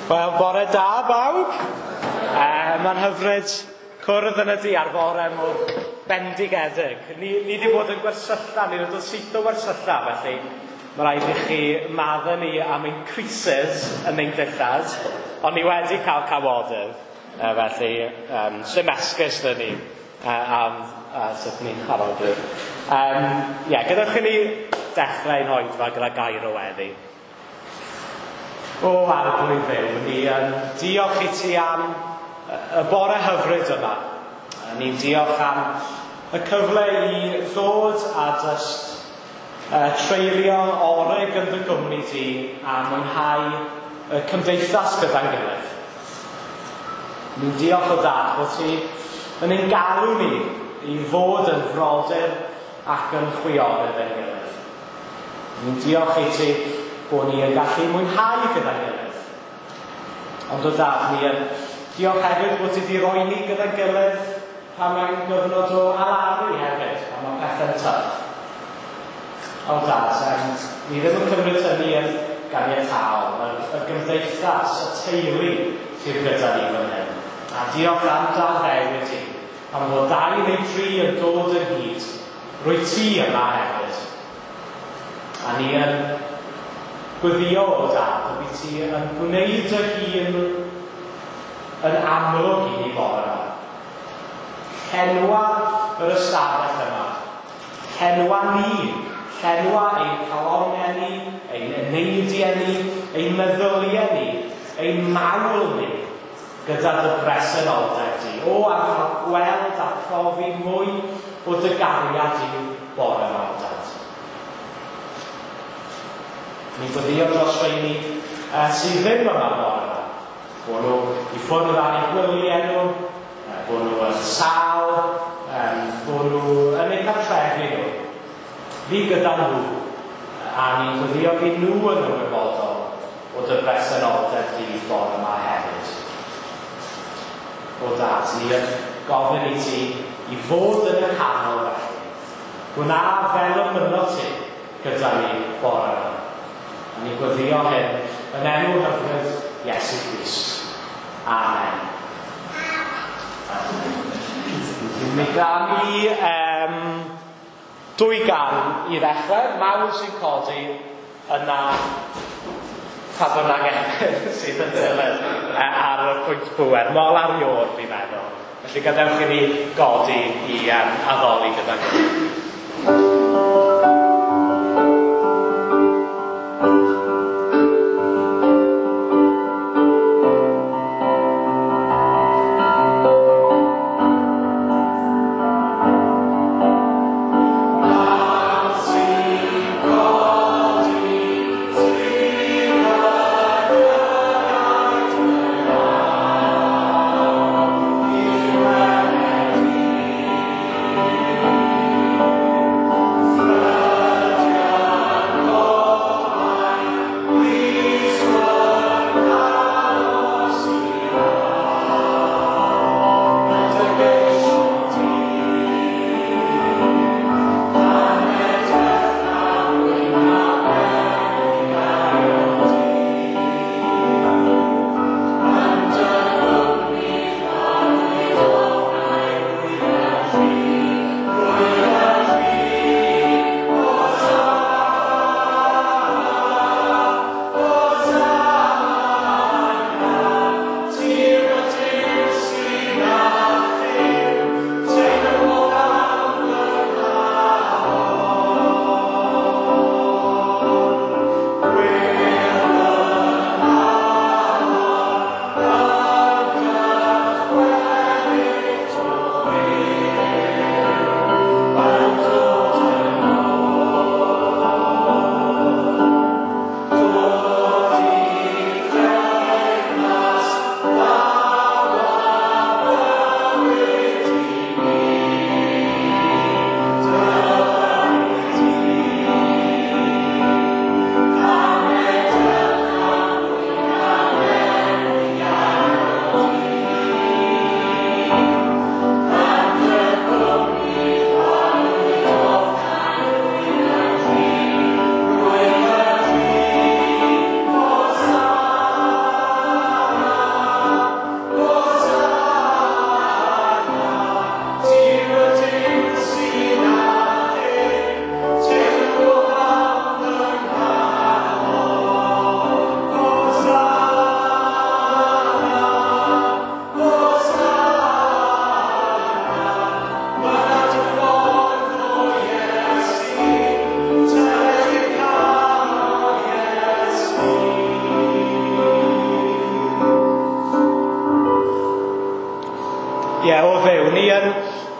Wel, bore da bawb. Mae'n hyfryd cwrdd yn y du ar fore mor bendigedig. Ni wedi bod yn gwersylla, ni wedi dod syth o wersylla, felly mae rhaid i chi maddau ni am ein creases yn ein dillad, ond ni wedi cael cawodydd, felly sdim esgus 'da ni am sut ni'n arogli. Ie, gadewch i ni dechrau ein hoedfa gyda gair o weddi. O Arglwydd Dduw, ni yn diolch i ti am y bore hyfryd yma. Ni'n diolch am y cyfle i ddod a jyst treulio orig yn dy gwmni di a mwynhau y cymdeithas gyda'n gilydd. Ni'n diolch o Dad bod ti yn ein galw ni i fod yn frodyr ac yn chwiorydd ein gilydd. Ni'n diolch i ti bod ni yn gallu mwynhau gyda'n gilydd. Ond o Dad, ni yn diolch hefyd bod ti wedi rhoi ni gyda'n gilydd pan mae'n gyfnod o alaru hefyd, pan mae pethau'n tough. O Dad, ni ddim yn cymryd hynny yn ganiataol, y gymdeithas, y teulu sydd gyda ni fan hyn. A diolch am dy addewid ti, pan fod dau neu dri yn dod ynghyd, rwyt ti yma hefyd. A ni yn gweddio o Dad, y bydd ti yn gwneud dy hun yn amlwg i ni bore yma. Llenwa yr ystafell yma. Llenwa ni. Llenwa ein calonnau ni, ein eneidiau ni, ein meddyliau ni, ein mawl ni, gyda dy bresenoldeb di. O, a cael gweld a profi mwy o dy gariad di bore yma, o Dad. Ni'n gweddio dros rheini sydd ddim yma bore yma. Bod nhw i ffwrdd ar eu gwyliau nhw, bod nhw yn sâl, bod nhw yn eu cartrefi nhw. Fi gyda nhw, a ni'n gweddio fydd nhw yn ymwybodol o dy bresenoldeb di bore yma hefyd. O Dad, ni yn gofyn i ti i fod yn y canol felly. Gwna fel y mynot ti gyda ni bore yma. A ni'n gweddio hyn yn enw hyfryd Iesu Grist. Amen. Mi gawn ni dwy gan i ddechrau. Mawl sy'n codi yna pa bynnag emyn sydd yn dilyn ar y pwynt pŵer. Mol ar Iôr, fi'n meddwl. Felly gadewch i ni godi i addoli gyda'n gilydd.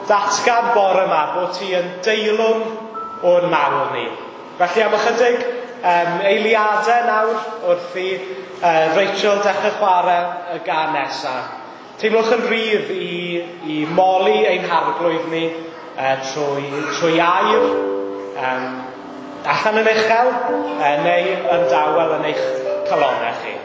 datgan bore yma bod ti yn deilwng o'n mawl ni. Felly am ychydig eiliadau nawr wrth i Rachel dechrau chwarae y gân nesaf. Teimlwch yn rhydd i moli ein harglwydd ni trwy air, allan yn uchel neu yn dawel yn eich calonnau chi.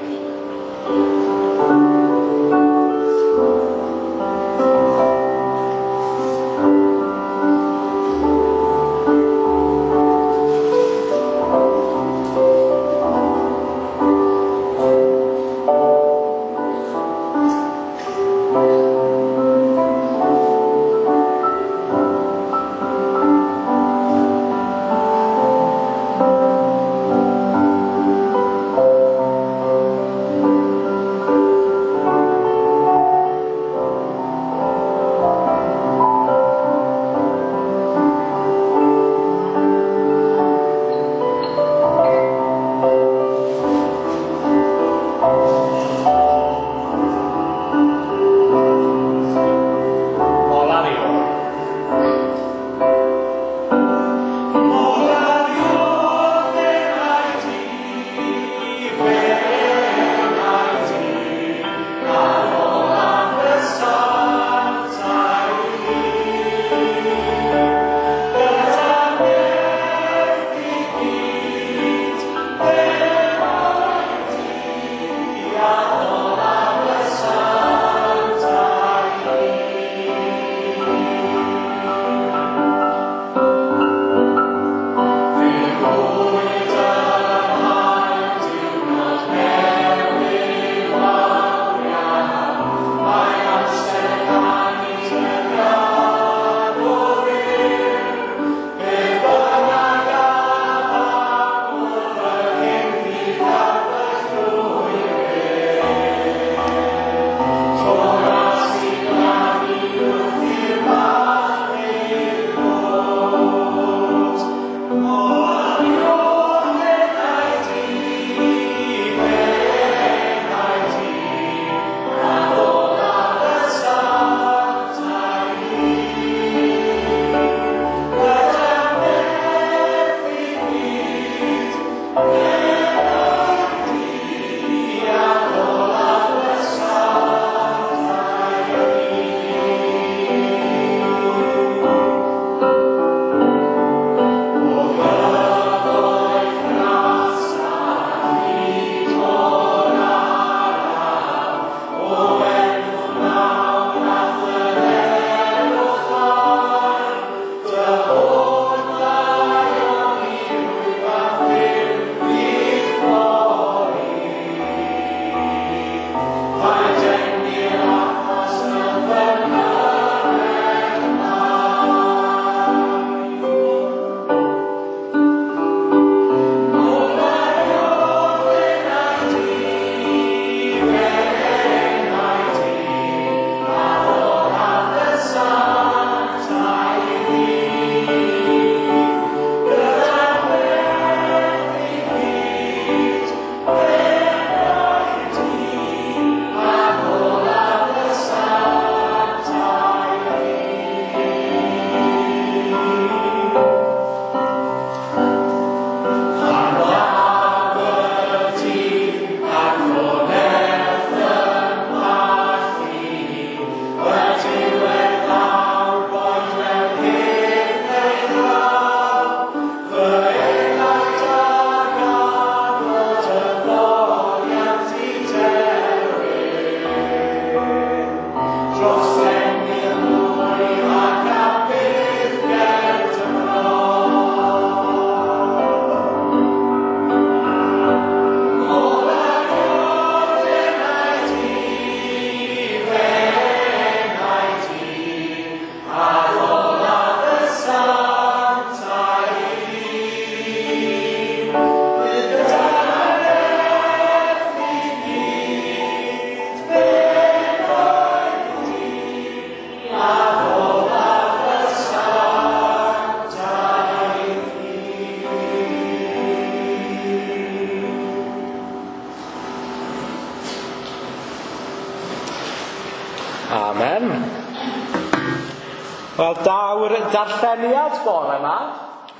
Wel, daw'r darlleniad bore yma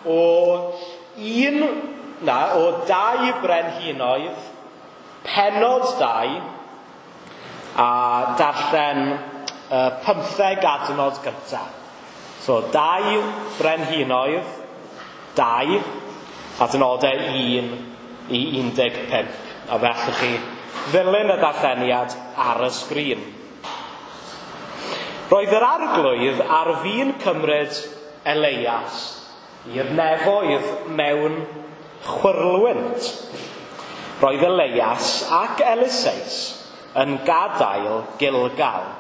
o un, na, o dau brenhinoedd, pennod 2, a darllen 15 adnod gyntaf. So, dau brenhinoedd, 2, adnodau 1 i 15. A fe allwch chi ddilyn y darlleniad ar y sgrin. Roedd yr arglwydd ar fin cymryd Elias i'r nefoedd mewn chwyrlwynt. Roedd Elias ac Eliseus yn gadael Gilgal.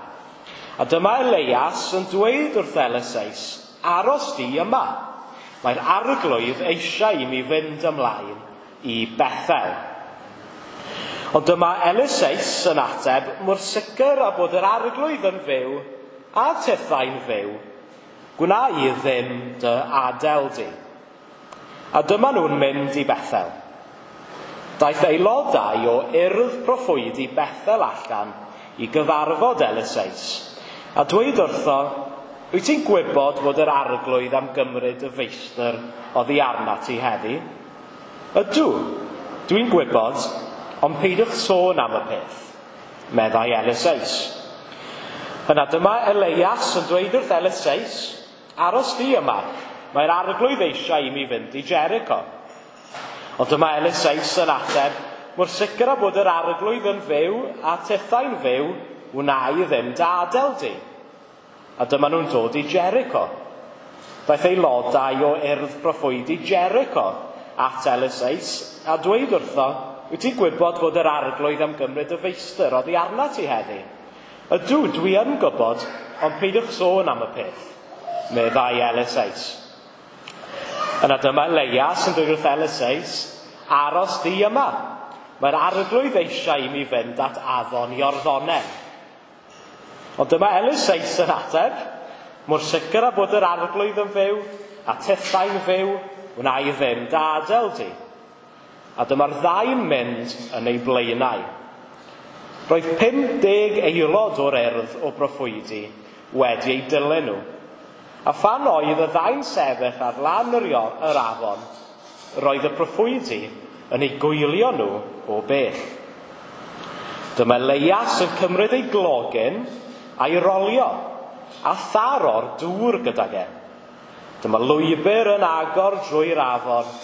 A dyma Elias yn dweud wrth Eliseus, aros di yma. Mae'r arglwydd eisiau i mi fynd ymlaen i Bethel. Ond dyma Eliseus yn ateb mor sicr â bod yr arglwydd yn fyw a tithau'n fyw, gwna i ddim dy adael di. A dyma nhw'n mynd i Bethel. Daeth aelodau o urdd proffwydi Bethel allan i gyfarfod Eliseus, a dweud wrtho, wyt ti'n gwybod fod yr arglwydd am gymryd y feistr oddi arnat ti heddi? Ydw, dwi'n gwybod, ond peidiwch sôn am y peth, meddai Eliseus. Yna dyma Elias yn dweud wrth Eliseus, aros di yma, mae'r arglwydd eisiau i mi fynd i Jericho. Ond dyma Eliseus yn ateb, mor sicr â bod yr arglwydd yn fyw a tithau'n fyw, wna i ddim dy adael di. A dyma nhw'n dod i Jericho. Daeth aelodau o urdd proffwydi Jericho at Eliseus a dweud wrtho, wyt ti'n gwybod fod yr arglwydd am gymryd y feistr oddi arnat ti heddi? Ydw, dwi yn gwybod, ond peidiwch sôn am y peth, meddai Eliseus. Yna dyma Elias yn dweud wrth Eliseus, aros di yma. Mae'r arglwydd eisiau i mi fynd at afon Iorddonen. Ond dyma Eliseus yn ateb, mor sicr â bod yr arglwydd yn fyw, a tithau'n fyw, wna i ddim dy adael di. A dyma'r ddau'n mynd yn ei blaenau. Roedd 50 aelod o'r urdd o broffwydi wedi eu dilyn nhw. A phan oedd y ddau'n sefyll ar lan yr afon, roedd y proffwydi yn eu gwylio nhw o bell. Dyma Elias yn cymryd ei glogyn a'i rolio, a tharo'r dŵr gydag e. Dyma lwybr yn agor drwy'r afon,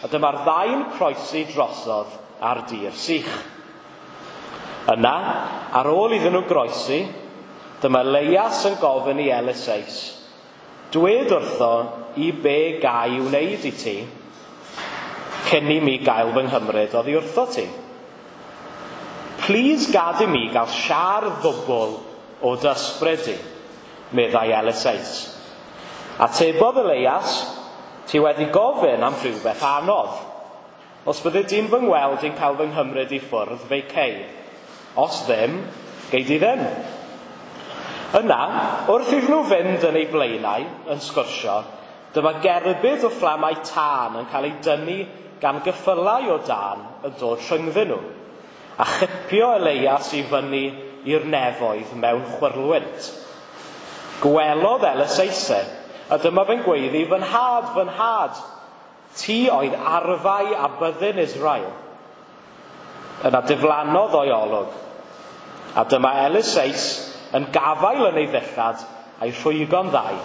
a dyma'r ddau'n croesi drosodd ar dir sych. Yna, ar ôl iddyn nhw groesi, dyma Elias yn gofyn i Eliseus, dwed wrtho i be gai wneud i ti, cyn i mi gael fy nghymryd oddi wrtho ti. Plîs gad i mi gael siâr ddwbl o dy ysbryd di, meddai Eliseus. Atebodd Elias, ti wedi gofyn am rhywbeth anodd. Os byddi di'n fy ngweld i'n cael fy nghymryd i ffwrdd, fe cei. Os ddim, gei di ddim. Yna, wrth iddyn nhw fynd yn eu blaenau, yn sgwrsio, dyma gerbyd o fflamau tân yn cael ei dynnu gan gyffylau o dân yn dod rhyngddyn nhw, a chipio Elias i fyny i'r nefoedd mewn chwyrlwynt. Gwelodd Eliseus, a dyma fe'n gweiddi, fy nhad, ti oedd arfau a byddin Israel. Yna diflannodd o'i olwg. A dyma Eliseus yn gafael yn ei ddillad a'i rhwygo'n ddau.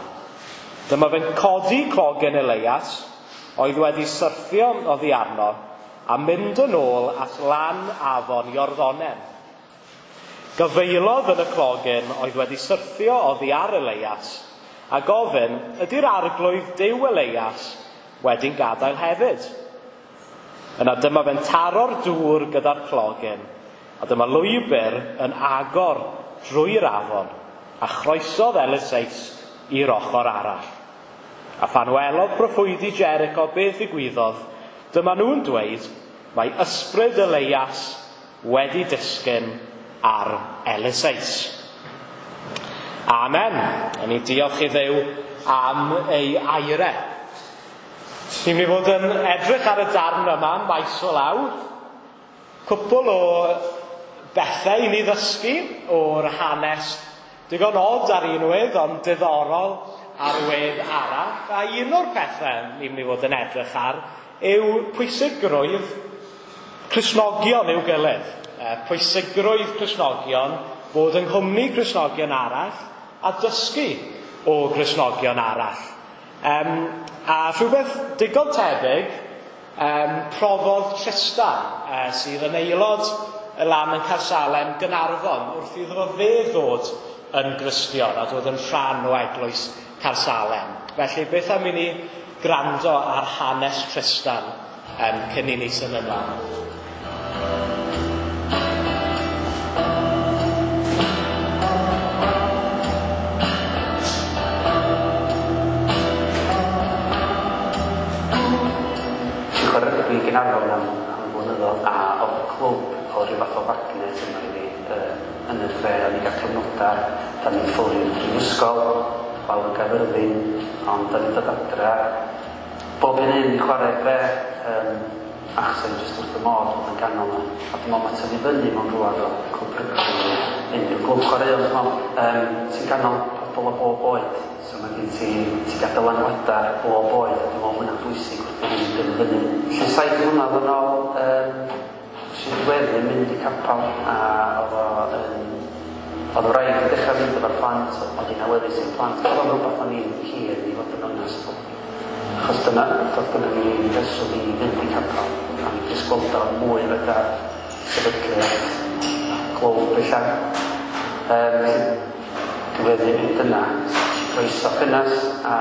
Dyma fe'n codi clogen Elias, oedd wedi syrthio oddi arno, a mynd yn ôl at lan afon Iorddonen. Gyfeilodd yn y clogen oedd wedi syrthio oddi ar Elias, a gofyn, ydy'r arglwydd Duw Elias wedi'n gadael hefyd? Yna dyma fe'n taro'r dŵr gyda'r clogen, a dyma lwybr yn agor drwy'r afon, a chroesodd Eliseus i'r ochr arall. A phan welodd proffwydi Jericho beth ddigwyddodd, dyma nhw'n dweud, mae ysbryd Elias wedi disgyn ar Eliseus. Amen. A ni diolch i Dduw am ei aire. Ni'n mynd i fod yn edrych ar y darn yma, maes o law. Cwpl o bethau i ni ddysgu o'r hanes Digon od ar un wedd, ond diddorol ar wedd arall. A un o'r pethau ni'n mynd i fod yn edrych ar yw pwysigrwydd Cristnogion i'w gilydd. Pwysigrwydd Cristnogion, bod yng nghwmni Cristnogion arall a dysgu o Gristnogion arall. A rhywbeth digon tebyg profodd Tristan, sydd yn aelod y lan yn Caersalem Gaernarfon, wrth iddo fe ddod yn Gristion a dod yn rhan o eglwys Caersalem. Felly beth am i ni gwrando ar hanes Tristan cyn i ni symud ymlaen. Chwarae rygbi i Gaernarfon am flynyddoedd, a oedd y clwb o ryw fath o magnet yma i fi yn y dre. O'n i'n cael cyfnodau, da ni'n ffwrdd i'r brifysgol, lawr yn Gaerfyrddin, ond da ni'n dod adra bob un un i chwarae'r dre, achos o'n i jyst wrth y modd bod yn ganol yma. A dwi'n meddwl mae tyfu fyny mewn rhywle fel clwb rygbi neu unrhyw glwb chwaraeon, dwi'n meddwl, ti'n ganol pobl o bob oed, so mae gen ti, ti'n gael dylanwadau bob oed, a dwi'n meddwl hwnna'n bwysig wrth i ni dyfu fyny. Felly 7 mlynedd yn ôl, nes i ddiweddu mynd i capel, a oedd wraig yn dechrau mynd efo'r plant, oedd hi'n awyddus i'r plant, oedd o'n rhywbeth o'n i'n hir i fod yn onest. Achos dyna ni reswm i fynd i capel, a ni jyst gweld o'n mwy fatha sefydliad glwb ella. Felly diweddu mynd yna, croeso cynnes, a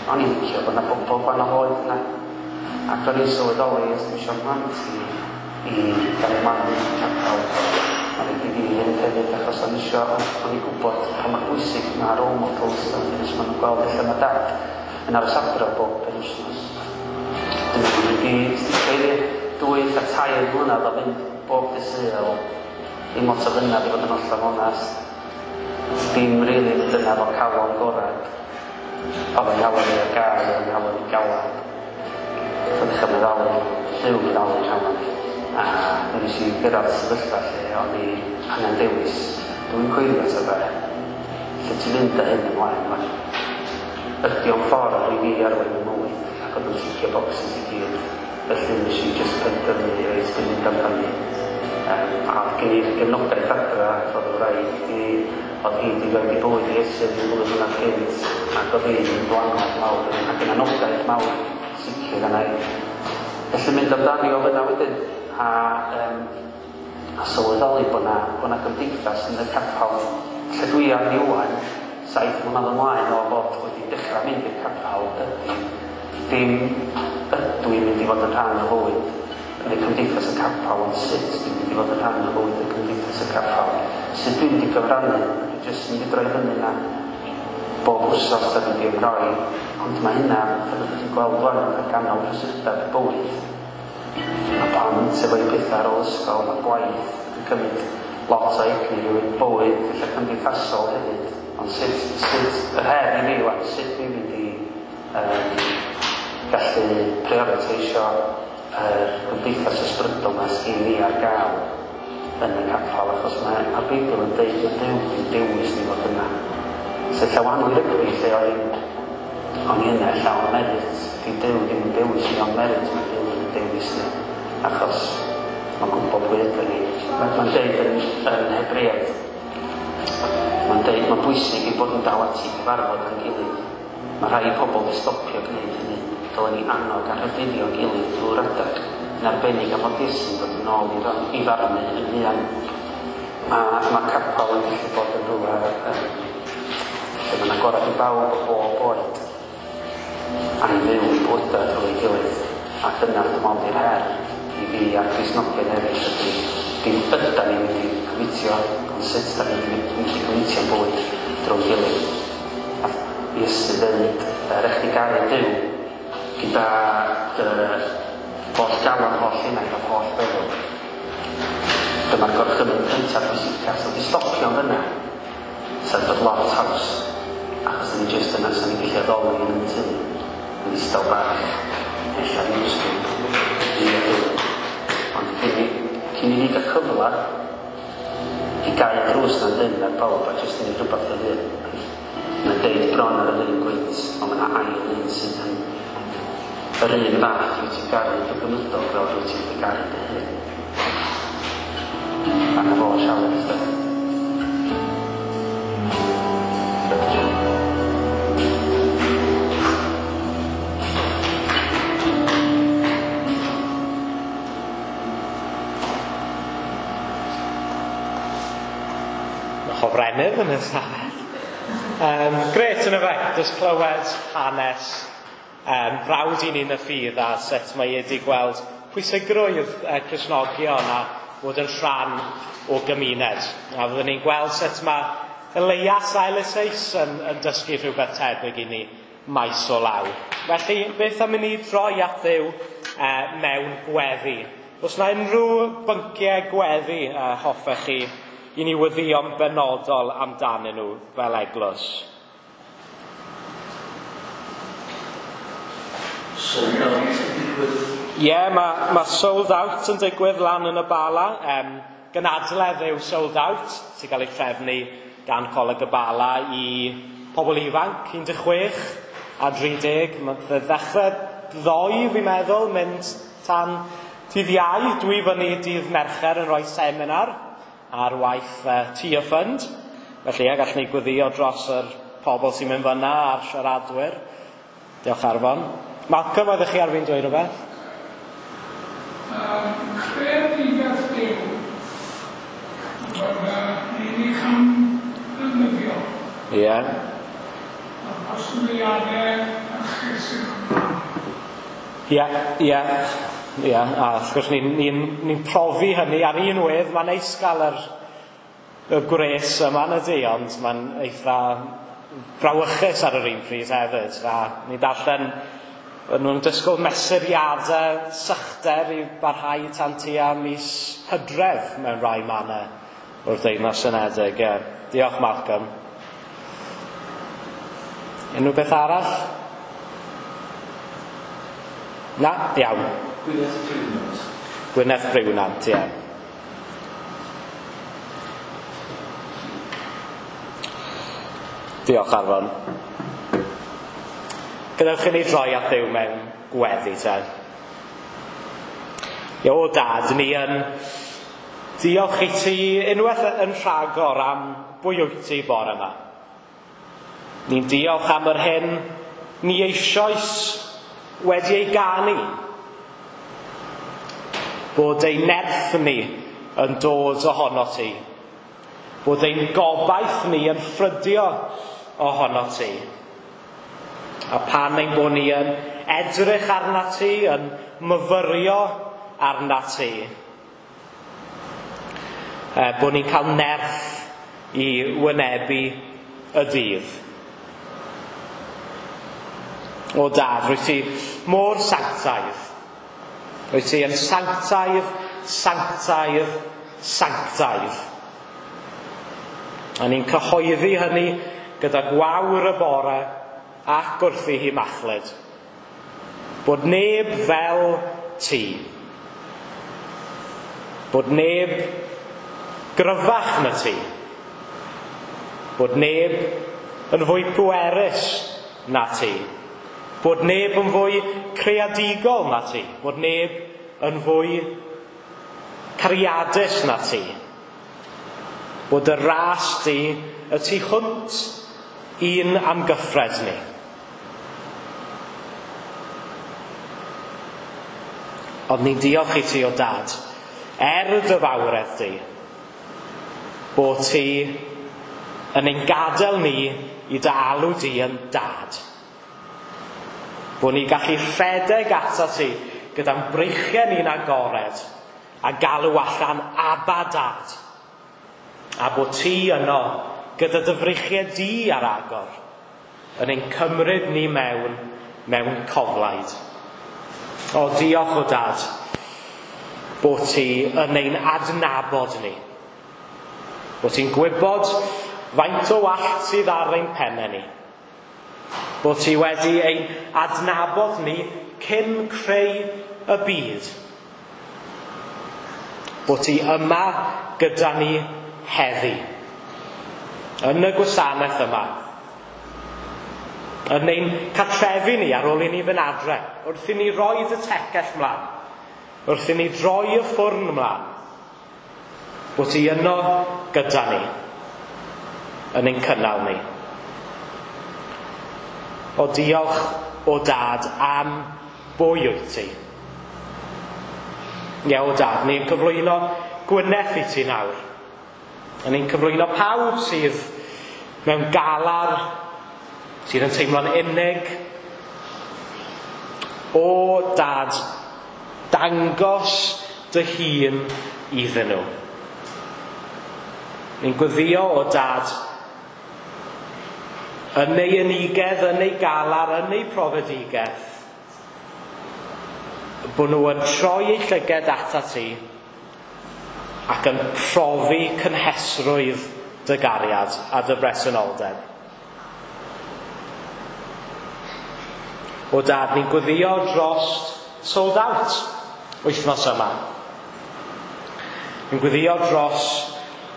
o'n i'n licio bod 'na bobl gwahanol oed yna. Ac o'n i'n sylweddoli, os dwi eisiau mhlant i gael eu magu i capel, mae'n rhaid i fi fynd hefyd, achos o'n i'n gwybod pa mor bwysig mae role models, a nes maen nhw'n gweld lle mae dad yn aros adra bob penwythnos. Dwi'n mynd i sticio i 2 a 3 mlynedd o fynd bob dydd Sul, ddim lot o fynadd i fod yn hollol onast. Dim rili mynd yna efo calon gorad. Oedd yng nghalon i ar gael, oedd yng nghalon i galad. Oedd dechrau meddalu, Duw meddalu calon i. A nes i gyrraedd sefyllfa lle o'n i angen dewis. Dwi'n coelio ta be. Lle ti'n mynd â hyn ymlaen wan? Ydy o'n ffordd i fi arwain y mywyd, ac oedd yn ticio boxes i gyd. Felly nes i jyst penderfynu, reit, dwi'n mynd amdani. A oedd gen i'r gefnogaeth adra, oedd y wraig i, oedd hi wedi rhoi bywyd i Iesu ryw flwyddyn mlynedd cynt, ac oedd hi'n ddylanwad mawr, ac yn anogaeth mawr sicr yna i. Felly mynd amdani o fyna wedyn, a sylweddoli bod 'na gymdeithas yn y capel. Lle dwi arni ŵan, 7 mlynedd ymlaen o fod wedi dechrau mynd i'r capel, ydy dim ydw i'n mynd i fod yn rhan o fywyd yn y cymdeithas y capel, ond sut dwi'n mynd i fod yn rhan o fywyd y cymdeithas y capel, sut dwi'n mynd i gyfrannu, dwi jyst yn mynd i droi fyny na bob wsos a mynd i ymroi, ond mae hynna, fel ydych chi'n gweld wan, yn ganol prysurdeb bywyd. Mae plant efo'u pethau ar ôl ysgol, mae gwaith yn cymryd lot o egni rhywun, bywyd, ella cymdeithasol hefyd. Ond sut yr her i fi wan, sut dwi'n mynd i gallu prioriteisio yr gymdeithas ysbrydol 'ma sgyn ni ar gael yn y capel, achos mae'r Beibl yn deud mae Duw wedi dewis ni fod yna. So ella wahanol i rygbi lle o'n i yna ella on merit, di Duw ddim yn dewis ni on merit, mae Duw yn dewis ni, achos mae'n gwybod pwy ydyn ni. Mae'n deud yn Hebreaid, mae'n deud mae'n bwysig i bod yn dal ati cyfarfod â'n gilydd. Mae rhai pobl wedi stopio gwneud hynny. Dylen ni annog a rhybuddio gilydd drwy'r adag, yn arbennig am fod Iesu'n dod yn ôl i farnu yn fuan. Mae capel yn gallu bod yn rhywle lle mae'n agored i bawb o bob oed, a i fyw i bywydau drwy ei gilydd. A dyna dwi'n meddwl di'r her i fi a'r Cristnogion eraill ydy, dim ydan ni'n mynd i cymitio, ond sut da ni'n mynd i cymitio'n bywyd drwy gilydd. A Iesu ddeud, rhaid chdi garu Duw gyda dy holl galon, holl enaid a holl feddwl. Dyma'r gorchymyn cyntaf pwysicaf, so di stopio fyna, sa'n dod lot haws, achos ni jyst yna, sa'n ni'n gallu addoli yn y tŷ, yn ddistaw bach, ella ddim ysgrif, i a Duw. Ond cyn i ni gael cyfle I gau y drws na'n dyn ar bawb a jyst yn rhywbeth dy hun. Mae'n deud bron ar yr un gwynt, ond mae yna ail un sydd yn yr un fath wyt ti'n garu dy gymydog fel rwyt ti'n dy garu dy hun. A na fo sialens de. Mae hofrennydd yn y stafell. Grêt yn y fe, jyst clywed hanes brawd i ni'n y ffydd a sut mae wedi gweld pwysigrwydd Cristnogion a bod yn rhan o gymuned. A fyddwn ni'n gweld sut mae Elias a Eliseus yn dysgu rhywbeth tebyg i ni maes o law. Felly, beth am i ni droi at Dduw mewn gweddi? Os na unrhyw bynciau gweddi hoffech chi i ni weddïo'n benodol amdanyn nhw fel eglwys? Sold Out yn digwydd. Ie, mae Sold Out yn digwydd lan yn y Bala. Gynadledd yw Sold Out, sy'n cael ei trefnu gan Coleg y Bala i pobl ifanc, 16 a 30. Mae'n ddechrau ddoe, fi'n meddwl, mynd tan dydd Iau. Dwi fyny dydd Mercher yn rhoi seminar ar waith Tia Fund. Felly, ie, gallwn ni gweddio dros yr pobl sy'n mynd fyna a'r siaradwyr. Diolch Arfon. Malcolm, oeddech chi ar fi'n dweud rhywbeth? Creadigaeth Duw. Ni'n ei chamddefnyddio. Ie. A'r posibiliadau erchyll sydd yma. Ie, ie, ie. A wrth gwrs ni'n profi hynny ar un wedd. Mae'n neis gael y gwres yma yn y di, ond mae'n eitha brawychus ar yr un pryd hefyd. A ni darllen nhw'n disgwyl mesuriadau sychder i barhau tan tua mis Hydref mewn rhai mannau o'r Deyrnas Unedig. Ie. Diolch, Malcolm. Unrhyw beth arall? Na? Iawn. Gwyneth Briwnant. Gwyneth Briwnant, ie. Diolch, Arfon. Gadewch i ni droi at Dduw mewn gweddi te. Ie, o Dad, ni yn diolch i ti unwaith yn rhagor am bwy wyt ti bore yma. Ni'n diolch am yr hyn ni eisoes wedi ei ganu. Bod ein nerth ni yn dod ohono ti. Bod ein gobaith ni yn ffrydio ohono ti. A pan ein bod ni yn edrych arna ti, yn myfyrio arna ti, bod ni'n cael nerth i wynebu y dydd. O Dad, rwyt ti mor sanctaidd. Rwyt ti yn sanctaidd, sanctaidd, sanctaidd. A ni'n cyhoeddi hynny gyda gwawr y bore ac wrth i hi machlud. Bod neb fel ti. Bod neb gryfach na ti. Bod neb yn fwy pwerus na ti. Bod neb yn fwy creadigol na ti. Bod neb yn fwy cariadus na ti. Bod y ras di y tu hwnt i'n amgyffred ni. Ond ni'n diolch i ti o Dad, dy fawredd di, bod ti yn ein gadael ni i dy alw di yn Dad. Bod ni'n gallu rhedeg ato ti gyda'n breichiau ni'n agored a galw allan Abba Dad. A bod ti yno gyda dy freichiau di ar agor yn ein cymryd ni mewn coflaid. O, diolch o Dad bod ti yn ein adnabod ni. Bod ti'n gwybod faint o wallt sydd ar ein pennau ni. Bod ti wedi ein adnabod ni cyn creu y byd. Bod ti yma gyda ni heddi. Yn y gwasanaeth yma. Yn ein cartrefi ni ar ôl i ni fynd adre. Wrth i ni roi y tecell mlaen. Wrth i ni droi y ffwrn mlaen. Bod ti yno gyda ni. Yn ein cynnal ni. O diolch o dad am bwy wyt ti. Ie, o dad, ni'n cyflwyno Gwyneth i ti nawr. A ni'n cyflwyno pawb sydd mewn galar, sydd yn teimlo'n unig. O dad, dangos dy hun iddyn nhw. Ni'n gweddio o dad yn ei unigedd, yn ei galar, yn ei profedigaeth, bod nhw yn troi eu llyged atat ti ac yn profi cynhesrwydd dy gariad a dy bresenoldeb. O dad, ni'n gweddio dros Sold Out wythnos yma. Ni'n gweddio dros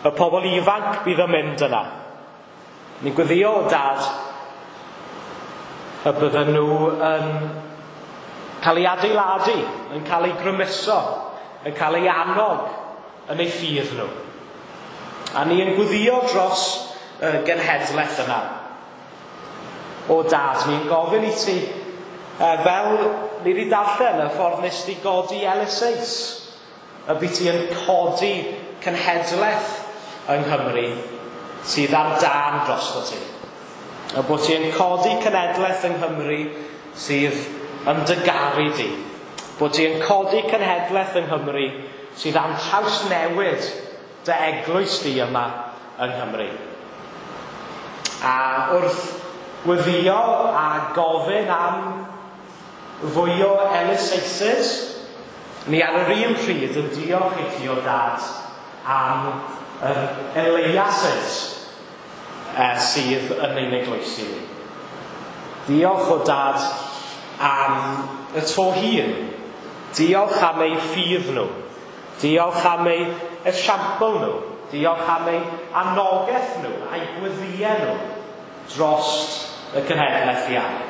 y pobl ifanc bydd yn mynd yna. Ni'n gweddio o dad y bydden nhw yn cael ei adeiladu, yn cael ei grymuso, yn cael ei annog yn eu ffydd nhw. A ni yn gweddio dros y genhedlaeth yna. O dad, ni'n gofyn i ti, fel ni wedi darllen y ffordd nes di godi Eliseus, y by ti yn codi cenhedlaeth yng Nghymru sydd ar dân drosto ti. Y bod ti yn codi cenhedlaeth yng Nghymru sydd yn dy garu di. Bod ti yn codi cenhedlaeth yng Nghymru sydd am trawsnewid dy eglwys di yma yng Nghymru. A wrth gweddio a gofyn am fwy o Eliseuses, ni ar yr un pryd yn diolch i ti o dad am yr Eliases sydd yn ein eglwysi ni. Diolch o dad am y to hŷn. Diolch am eu ffydd nhw. Diolch am eu esiampl nhw. Diolch am eu anogaeth nhw a'i gweddiau nhw dros y cenhedlaeth iau.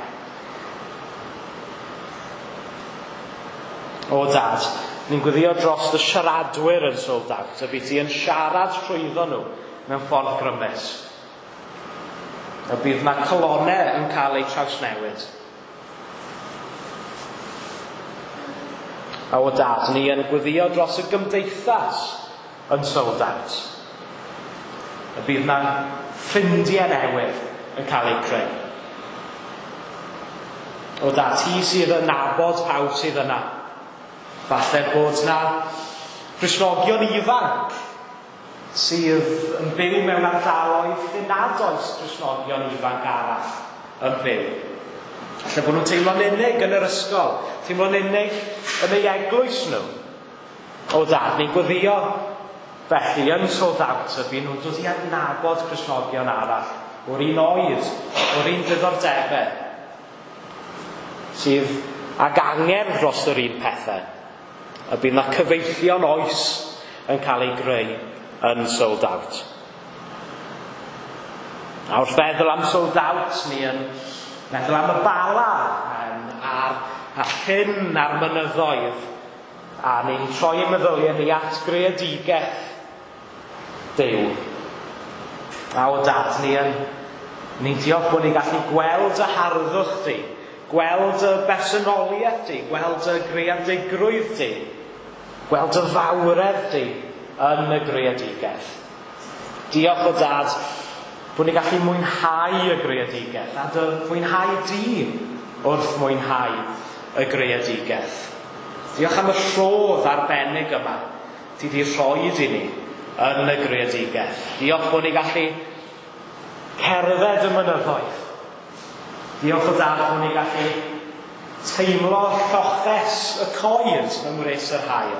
O dad, ni'n gweddio dros y siaradwyr yn Sold Out, y bydd ti yn siarad trwyddo nhw mewn ffordd grymus. Y bydd na calonnau yn cael eu trawsnewid. A o dad, ni yn gweddio dros y gymdeithas yn Sold Out. Y bydd na ffrindiau newydd yn cael eu creu. O dad, ti sydd yn nabod pawb sydd yna. Falle bod na Gristnogion ifanc sydd yn byw mewn ardaloedd lle nad oes Gristnogion ifanc arall yn byw. Falle bod nhw'n teimlo'n unig yn yr ysgol, teimlo'n unig yn eu eglwys nhw. O dad, ni'n gweddio felly yn Sold Out y bydd nhw'n dod i adnabod Cristnogion arall o'r un oed, o'r un diddordebau, sydd ag angerdd dros yr un pethau. A bydd na cyfeillion oes yn cael ei greu yn Sold Out. A wrth feddwl am Sold Out, ni yn meddwl am y Bala, a'r llyn a'r mynyddoedd, a ni'n troi ein meddyliau ni at greadigaeth Duw. A o dad, ni'n diolch bod ni'n gallu gweld y harddwch di, gweld y bersonoliaeth di, gweld y greadigrwydd di, gweld y fawredd di yn y greadigaeth. Diolch o dad bod ni'n gallu mwynhau y greadigaeth a dy fwynhau di wrth mwynhau y greadigaeth. Diolch am y rhodd arbennig yma ti di rhoi i ni yn y greadigaeth. Diolch bod ni'n gallu cerdded y mynyddoedd. Diolch o dad bod ni'n gallu teimlo lloches y coed yng ngwres yr haul.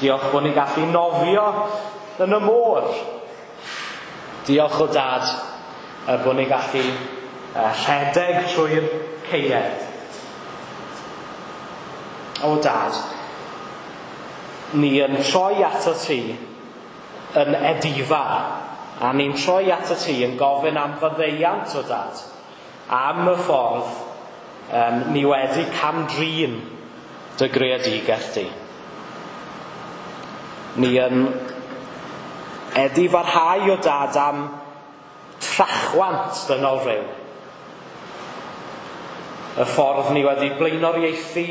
Diolch bod ni'n gallu nofio yn y môr. Diolch o dad bod ni'n gallu rhedeg trwy'r caeau. O dad, ni yn troi ato ti yn edifar, a ni'n troi at y ti yn gofyn am faddeuant o Dad, am y ffordd ni wedi cam-drin dy greadigaeth di. Ni yn edifarhau o Dad am trachwant dynol rhyw. Y ffordd ni wedi blaenoriaethu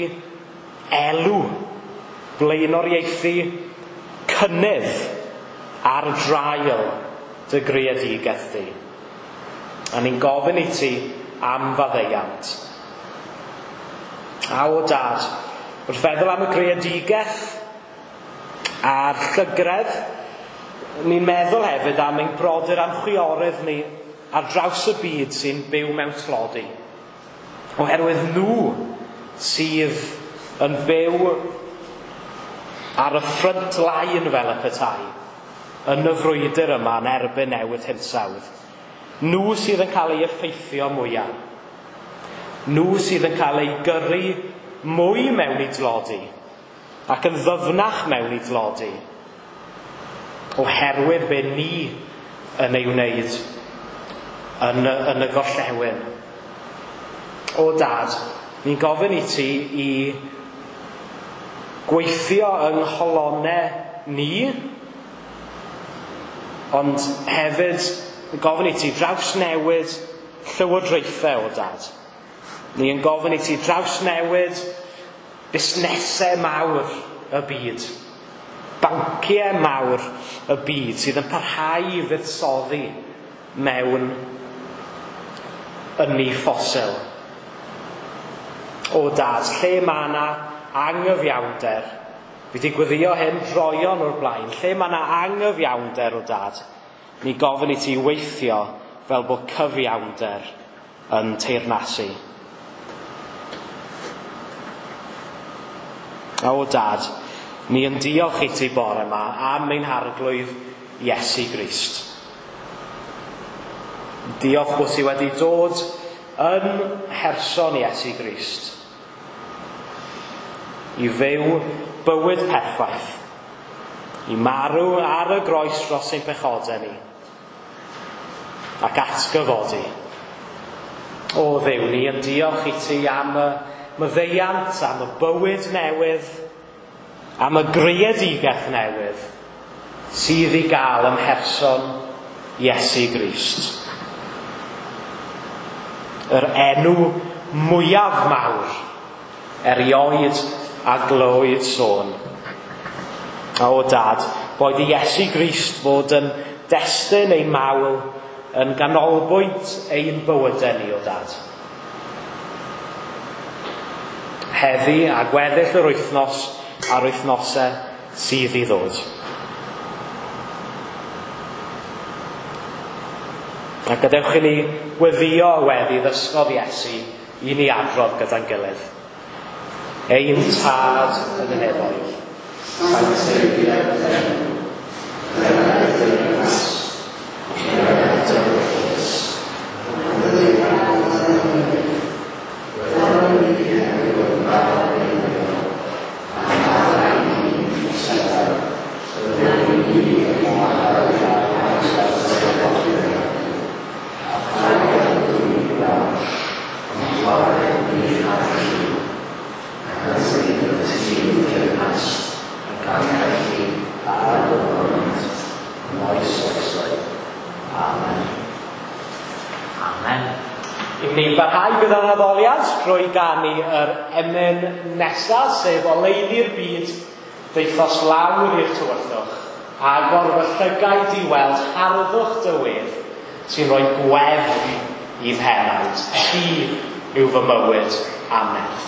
elw, blaenoriaethu cynnydd ar draul dy greadigaeth di. A ni'n gofyn i ti am faddeuant. A o Dad, wrth feddwl am y greadigaeth a'r llygredd, ni'n meddwl hefyd am ein brodyr a'n chwiorydd ni ar draws y byd sy'n byw mewn tlodi. Oherwydd nhw sydd yn byw ar y front line fel y petai, yn y frwydr yma yn erbyn newid hinsawdd. Nhw sydd yn cael eu effeithio mwyaf. Nhw sydd yn cael eu gyrru mwy mewn i dlodi ac yn ddyfnach mewn i dlodi, oherwydd be ni yn ei wneud yn y gorllewin. O Dad, ni'n gofyn i ti i gweithio yng ngholonnau ni, ond hefyd gofyn i ti drawsnewid llywodraethau o Dad. Ni yn gofyn i ti drawsnewid busnesau mawr y byd, banciau mawr y byd sydd yn parhau i fuddsoddi mewn ynni ffosil. O Dad, lle mae yna angyfiawnder, fi wedi gweddio hyn droeon o'r blaen, lle mae yna angyfiawnder o Dad, ni gofyn i ti weithio fel bod cyfiawnder yn teyrnasu. O Dad, ni yn diolch i ti bore yma am ein harglwydd Iesu Grist. Diolch bod ti wedi dod yn mherson Iesu Grist i fyw bywyd perffaith, i marw ar y groes dros ein pechodau ni, ac atgyfodi. O Dduw, ni yn diolch i ti am y maddeuant, am y bywyd newydd, am y greadigaeth newydd sydd i gael ym mherson Iesu Grist. Yr enw mwyaf mawr erioed a glywyd sôn. O Dad, boed i Iesu Grist fod yn destun ein mawl, yn ganolbwynt ein bywydau ni, o Dad. Heddi a gweddill yr wythnos a'r wythnosau sydd i ddod. A gadewch i ni weddio y weddi ddysgodd Iesu i ni adrodd gyda'n gilydd. Ein Tad yn y nefoedd, sancteiddied dy enw, dyled dy deyrnas, dyled dy ewyllys, Amen. I ni barhau gyda'n addoliad drwy ganu yr emyn nesaf, sef Oleuni'r Byd, ddaethos lawr i'r tywyllwch, agor fy llygaid i weld harddwch dy wedd sy'n rhoi gwefr i'm henaid. Ti yw fy mywyd a'm nerth.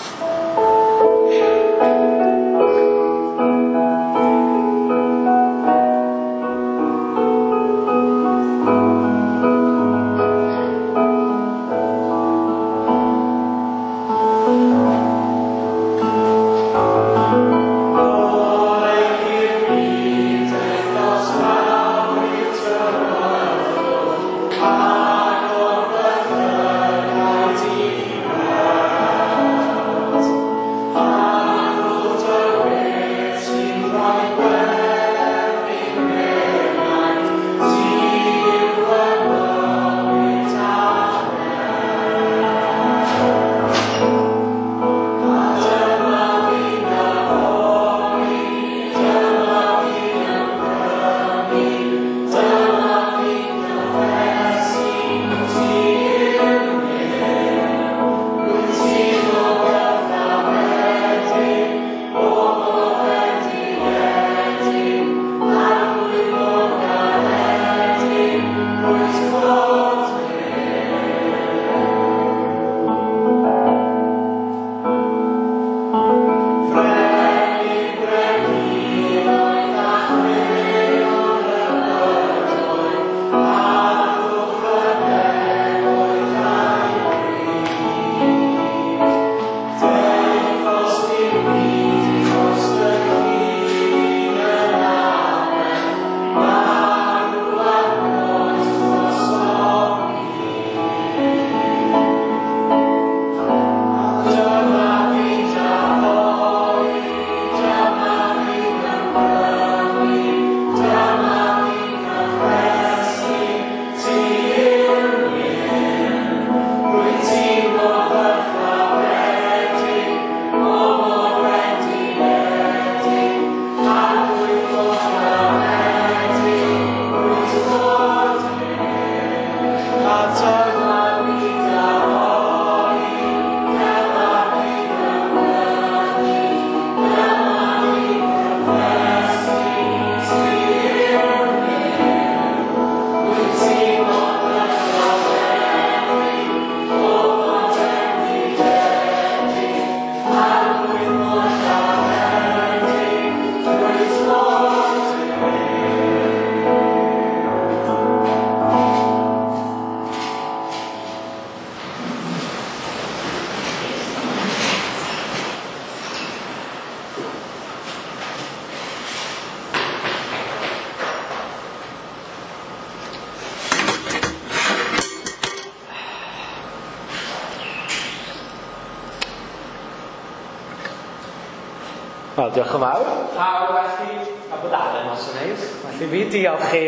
Wel, diolch yn fawr. A felly, a bod Alan os yn neud. Felly fi diolch i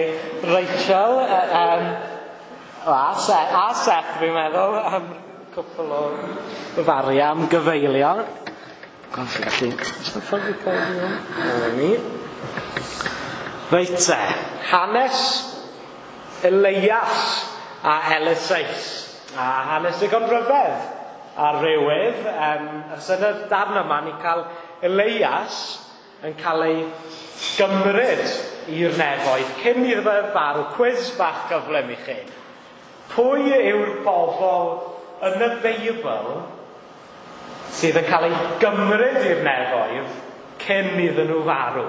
Rachel a Seth, fi'n meddwl, am cwpl o faria am gyfeilio. Felly, Reit te, hanes Elias a Eliseus. A hanes digon rhyfedd ar rywydd. Ers yn y darn yma, ni'n cael Elias yn cael ei gymryd i'r nefoedd cyn iddo fe farw. Cwis bach gyflym i chi. Pwy yw'r bobl yn y Beibl sydd yn cael ei gymryd i'r nefoedd cyn iddyn nhw farw?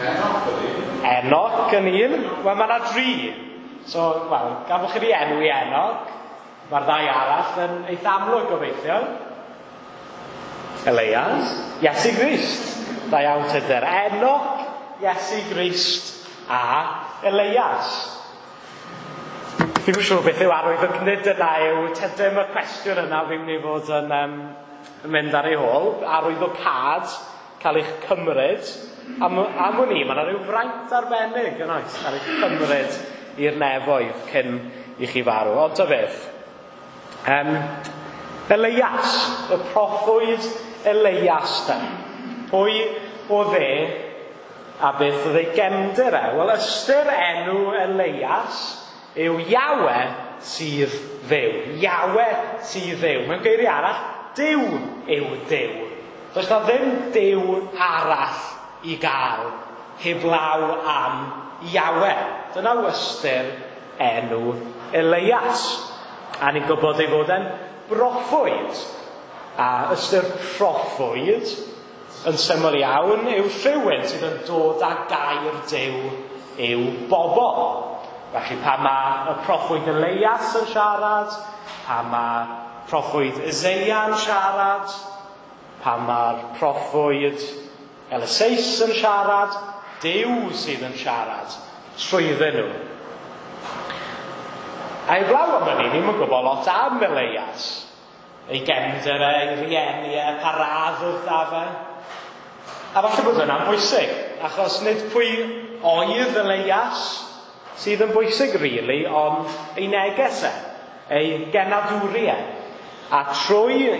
Enoch ydy. Enoch yn un. Wel, mae yna dri. So, wel, gan bod chi wedi enwi Enoch, mae'r ddau arall yn eitha amlwg gobeithio. Elias, Iesu Grist. Da iawn Tudur. Enoch, Iesu Grist a Elias. Fi'n siŵr beth yw arwydd y nid yna yw tydym y cwestiwn yna fi'n mynd i fod yn mynd ar ei hôl. Arwydd o cad, cael eich cymryd. Am wn i, mae yna rhyw fraint arbennig yn oes, cael eich cymryd i'r nefoedd cyn i chi farw. Ond ta beth. Elias, y proffwyd Elias de. Pwy oedd e a beth oedd ei gefndir e? Wel, ystyr enw Elias yw Iawe sydd Dduw. Iawe sydd Dduw. Mewn geiriau arall, Duw yw Duw. Does na ddim Duw arall i gael heblaw am Iawe. Dyna yw ystyr enw Elias. A ni'n gwybod ei fod e'n broffwyd. A ystyr proffwyd yn syml iawn yw rhywun sydd yn dod â gair Duw i'w bobl. Felly pan mae y proffwyd Elias yn siarad, pan mae proffwyd Eseia yn siarad, pan mae'r proffwyd Eliseus yn siarad, Duw sydd yn siarad trwyddyn nhw. A heblaw am hynny, ni'm yn gwybod lot am Elias. Ei gefndir e, ei rieni e, pa radd oedd 'da fe. A falle bod hwnna'n bwysig, achos nid pwy oedd Elias sydd yn bwysig, really, ond ei neges e, ei genadwri e. A trwy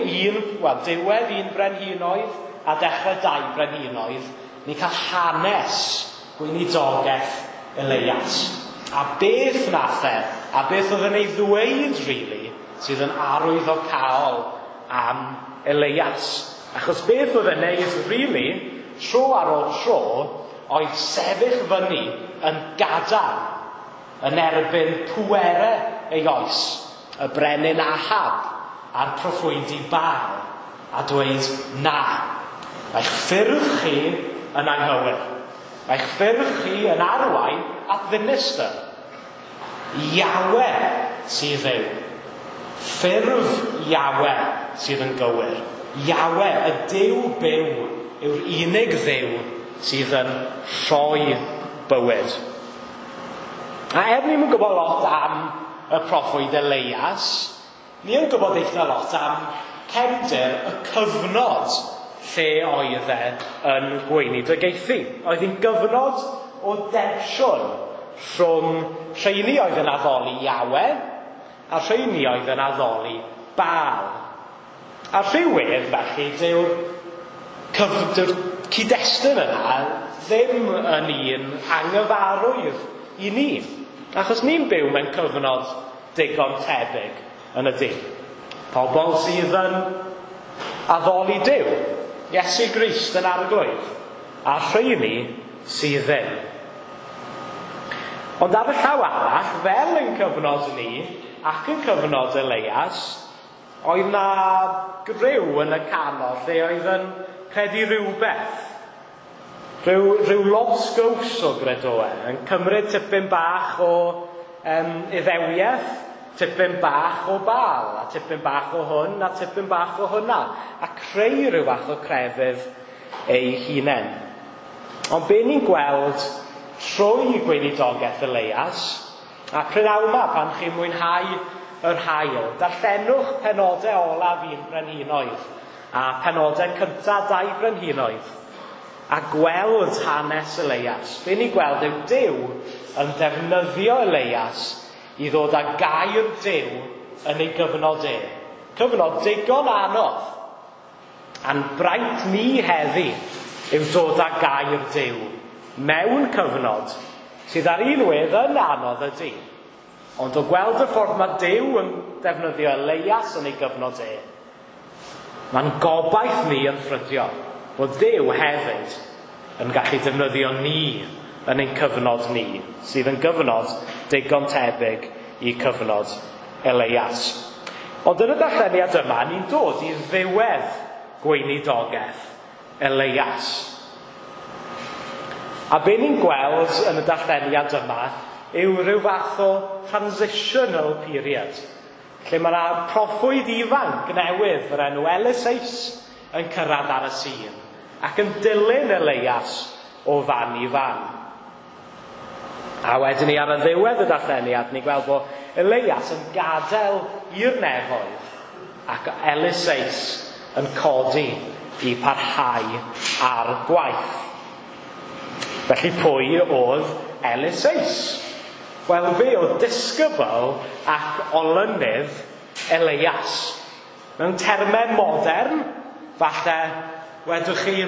diwedd un brenhinoedd a dechrau dau brenhinoedd, ni'n cael hanes gweinidogaeth Elias. A beth nath e, a beth oedd yn ei ddweud, really, sydd yn arwyddocaol am Elias. Achos beth oedd e'n neud, really, tro ar ôl tro, oedd sefyll fyny yn gadarn yn erbyn pwerau ei oes, y brenin Ahab a'r proffwydi Baal, a dweud, na, mae'ch ffyrdd chi yn anghywir. Mae'ch ffyrdd chi yn arwain at ddinistr. Iawe sydd Dduw. Ffurf Iawe sydd yn gywir. Iawe, y Duw byw, yw'r unig Dduw sydd yn rhoi bywyd. A er ni'm yn gwybod lot am y proffwyd Elias, ni yn gwybod eitha lot am cefndir y cyfnod lle oedd e yn gweinidogaethu. Oedd hi'n gyfnod o densiwn rhwng rheini oedd yn addoli Iawe a rheini oedd yn addoli Baal. A rhywedd, felly, dyw'r cyd-destun yna ddim yn un anghyfarwydd i ni. Achos ni'n byw mewn cyfnod digon tebyg yn y dydd. Pobl sydd yn addoli Duw, Iesu Grist yn arglwydd, a rheini sydd ddim. Ond ar y llaw arall, fel yn cyfnod ni, ac yn cyfnod Elias, oedd na griw yn y canol lle oedd yn credu rhywbeth. Rhyw lobsgows o gredoau, yn cymryd tipyn bach o Iddewiaeth, tipyn bach o Baal, a tipyn bach o hwn, a tipyn bach o hwnna, a creu rhyw fath o crefydd ei hunain. Ond be ni'n gweld trwy gweinidogaeth Elias, a prynhawn yma pan chi'n mwynhau yr haul, darllenwch penodau olaf un brenhinoedd. a penodau cyntaf 2 Brenhinoedd a gweld hanes Eleias, be ni'n gweld yw Duw yn defnyddio Eleias i ddod â gair Duw yn ei gyfnod e. Cyfnod digon anodd. A'n braint ni heddi yw dod â gair Duw mewn cyfnod sydd ar un wedd yn anodd ydy. Ond o gweld y ffordd mae Duw yn defnyddio Eleias yn ei gyfnod e, mae'n gobaith ni yn ffrydio bod Duw hefyd yn gallu defnyddio ni yn ein cyfnod ni, sydd yn gyfnod digon tebyg i cyfnod Eleias. Ond yn y darlleniad yma, ni'n dod i ddiwedd gweinidogaeth Eleias. A be ni'n gweld yn y darlleniad yma yw rhyw fath o transitional period, lle mae yna proffwyd ifanc newydd o'r enw Eliseus yn cyrraedd ar y sîn ac yn dilyn Eleias o fan i fan. A wedyn ni ar y ddiwedd y darlleniad, ni'n gweld bod Eleias yn gadael i'r nefoedd ac Eliseus yn codi i parhau ar gwaith. Felly pwy oedd Eliseus? Wel, fe oedd disgybl ac olynydd Eleias. Mewn termau modern, falle wedwch chi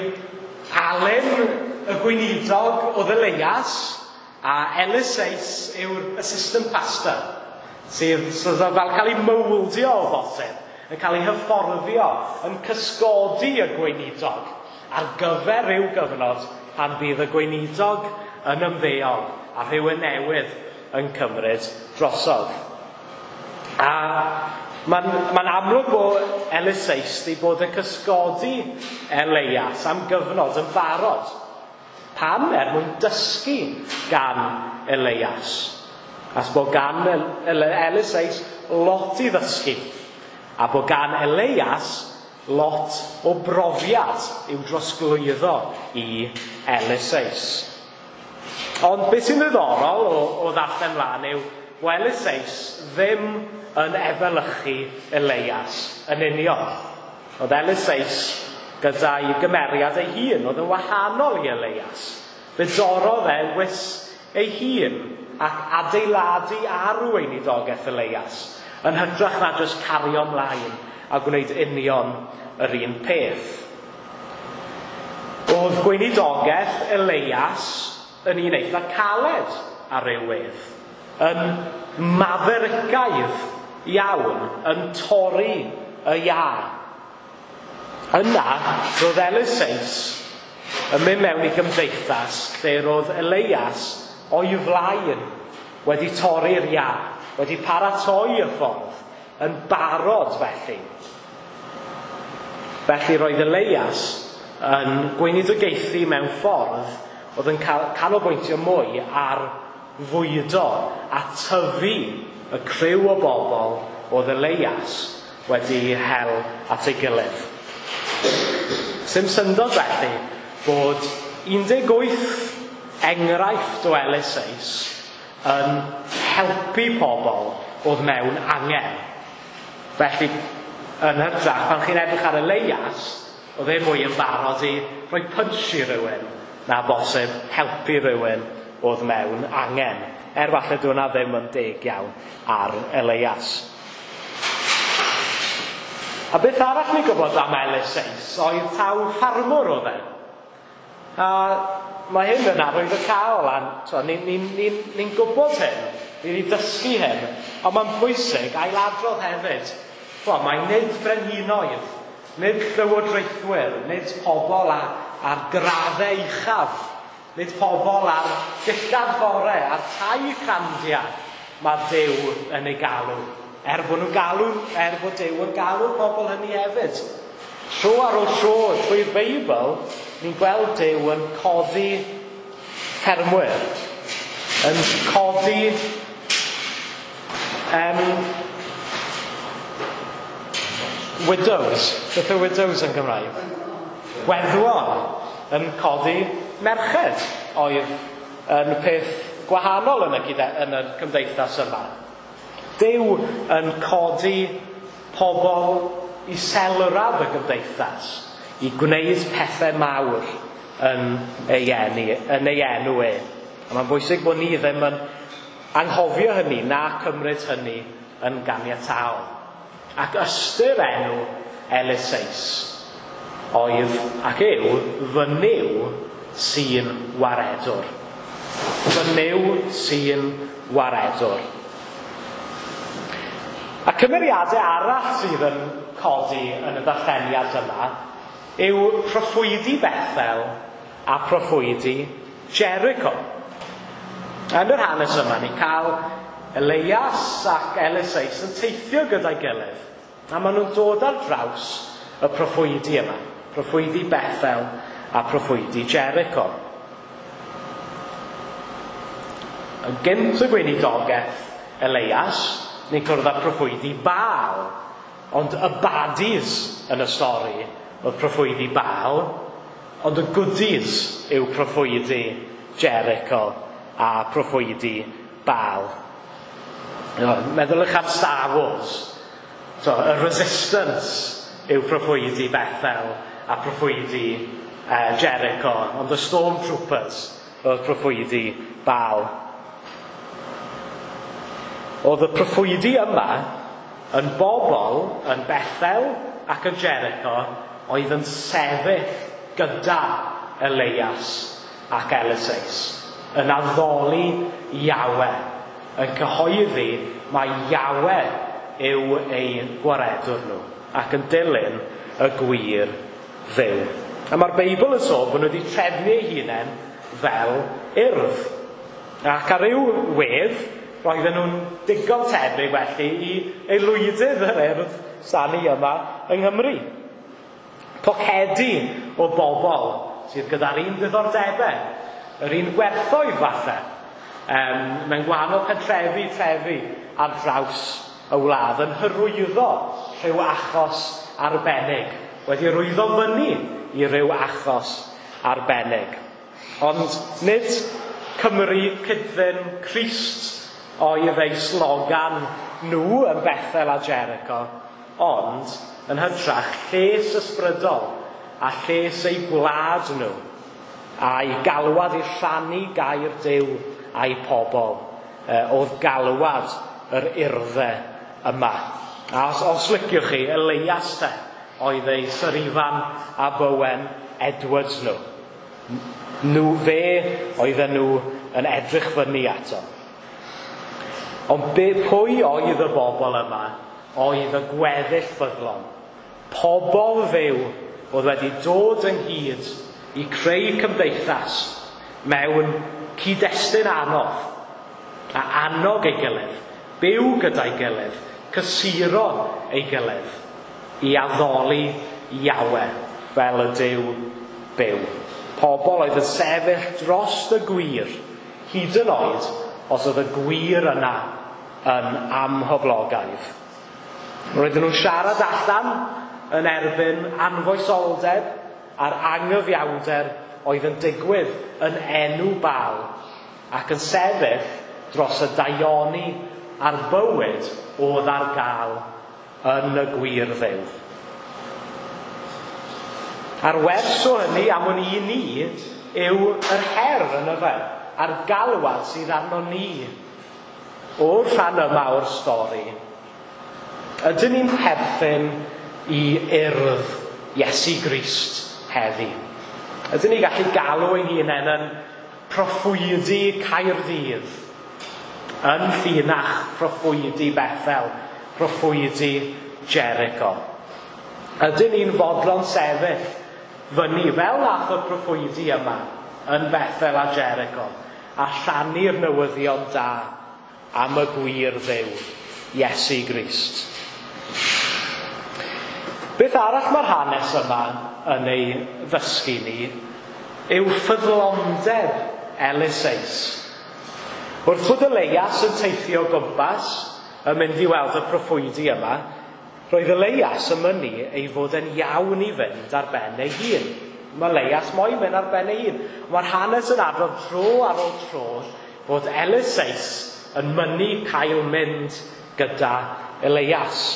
Alun y gweinidog oedd Eleias a Eliseus yw'r assistant pastor sydd fel cael ei mowldio o bosib, yn cael ei hyfforddio, yn cysgodi y gweinidog ar gyfer rhyw gyfnod pan bydd y gweinidog yn ymddeol a rhywun newydd yn cymryd drosodd. A mae'n amlwg bod Eliseus wedi bod yn cysgodi Eleias am gyfnod yn barod. Pam? Er mwyn dysgu gan Eleias. As bod gan Eliseus lot i ddysgu. A bod gan Eleias lot o brofiad i'w drosglwyddo i Eliseus. Ond beth sy'n ddiddorol o ddarllen mlaen yw bod Eliseus ddim yn efelychu Eleias yn union. Oedd Eliseus gyda'i gymeriad ei hun, oedd yn wahanol i Eleias. Fe dorrodd e wys ei hun ac adeiladu ar weinidogaeth Eleias, yn hytrach na jyst cario ymlaen a gwneud union yr un peth. Oedd gweinidogaeth Eleias yn un eitha caled ar ryw wedd, yn maferigaidd iawn, yn torri y iâ. Yna, roedd Eliseus yn mynd mewn i gymdeithas lle roedd Eleias o'i flaen wedi torri'r iâ, wedi paratoi y ffordd, yn barod felly. Felly roedd Eleias yn gweinidogaethu mewn ffordd oedd yn canolbwyntio mwy ar fwydo a tyfu y criw o bobl oedd Eleias wedi hel at ei gilydd. Sim syndod felly bod 18 enghraifft o Eliseus yn helpu pobl oedd mewn angen. Felly, yn hytrach, pan chi'n edrych ar Eleias, oedd e mwy yn barod i rhoi punch i rywun na bosib helpu rhywun oedd mewn angen. Er falle dyw hwnna ddim yn deg iawn ar Eleias. A beth arall ni'n gwybod am Eliseus oedd taw ffarmwr oedd e. A mae hyn yn arwyddocaol, a ni'n gwybod hyn, ni wedi dysgu hyn, ond mae'n bwysig ailadrodd hefyd. Mae nid brenhinoedd, nid llywodraethwyr, nid pobl ar graddau uchaf, nid pobl ar dillad fore, ar tai crandia, mae Duw yn ei galw. Er bod nhw'n galw, er bod Duw yn galw pobl hynny hefyd. Tro ar ôl tro trwy'r Beibl, ni'n gweld Duw yn codi ffermwyr, yn codi widows. Beth yw widows yn Gymraeg? Gweddwon yn codi merched oedd yn peth gwahanol yn y cymdeithas yma. Duw yn codi pobl iselraf y gymdeithas i gwneud pethau mawr yn ei enw, yn ei enw e. A mae'n bwysig bod ni ddim yn anghofio hynny na cymryd hynny yn ganiataol. Ac ystyr enw Eliseus oedd ac yw fy Nuw sy'n waredwr. Fy Nuw sy'n waredwr. A cymeriadau arall sydd yn codi yn y ddarlleniad yma yw proffwydi Bethel a proffwydi Jericho. Yn yr hanes yma, ni'n cael Elias ac Eliseus yn teithio gyda'i gilydd. A maen nhw'n dod ar draws y proffwydi yma. Proffwydi Bethel a proffwydi Jericho. Yn gynt y gweinidogaeth Elias, ni'n cwrdd â proffwydi Baal. Ond y baddies yn y stori oedd proffwydi Baal, ond y goodies yw proffwydi Jericho a proffwydi Baal. Meddyliwch am Star Wars. So, y Resistance yw proffwydi Bethel a proffwydi Jericho, ond y Stormtroopers oedd proffwydi Baal. Oedd y proffwydi yma yn bobl yn Bethel ac yn Jericho oedd yn sefyll gyda Elias ac Eliseus, yn addoli Yahweh, yn cyhoeddi mai Yahweh yw eu gwaredwr nhw, ac yn dilyn y gwir Dduw. A mae'r Beibl yn sôn bod nhw wedi trefnu eu hunain fel urdd. Ac ar ryw wedd, roedden nhw'n digon tebyg felly i aelwydydd yr urdd sani yma yng Nghymru. Pocedi o bobl sydd gyda'r un diddordebau, yr un gwerthoedd falle, mewn gwahanol pentrefi, trefi ar draws y wlad yn hyrwyddo rhyw achos arbennig, wedi rwyddo fyny i ryw achos arbennig. Ond nid Cymru Cydfyn Crist oedd ei slogan nhw yn Bethel a Jericho, ond yn hytrach lles ysbrydol a lles eu gwlad nhw, a'i galwad i rhannu gair Duw a'i pobl, oedd galwad yr urddau yma. A os liciwch chi, Elias te oedd ei Sir Ifan a Bowen Edwards nhw. Nhw fe oedden nhw yn edrych fyny ato. Ond pwy oedd y bobl yma? Oedd y gweddill ffyddlon. Pobl fyw oedd wedi dod ynghyd i creu cymdeithas mewn cyd-destun anodd a annog ei gilydd, byw gyda'i gilydd, cysuro ei gilydd i addoli Yahweh fel y Duw byw. Pobl oedd yn sefyll dros y gwir, hyd yn oed os oedd y gwir yna yn amhoblogaidd. Roedden nhw'n siarad allan yn erbyn anfoesoldeb a'r angyfiawnder oedd yn digwydd yn enw Baal ac yn sefyll dros y daioni a'r bywyd oedd ar gael yn y gwir Dduw. A'r wers o hynny am wn i ni yw yr her yn y fe, a'r galwad sydd arno ni o'r rhan yma o'r stori. Ydyn ni'n perthyn i urdd Iesu Grist heddi? Ydyn ni'n gallu galw ein hunain yn proffwydi Caerdydd, yn llinach proffwydi Bethel, proffwydi Jericho? Ydyn ni'n fodlon sefyll fyny fel nath y proffwydi yma yn Bethel a Jericho a rhannu'r newyddion da am y gwir Dduw, Iesu Grist? Beth arall mae'r hanes yma yn ei ddysgu ni yw ffyddlondeb Eliseus. Wrth fod Elias yn teithio o gwmpas yn mynd i weld y proffwydi yma, roedd Elias yn mynnu ei fod yn iawn i fynd ar ben ei hun. Mae Elias moyn mynd ar ben ei hun. Mae'r hanes yn adrodd tro ar ôl tro bod Eliseus yn mynnu cael mynd gyda Elias.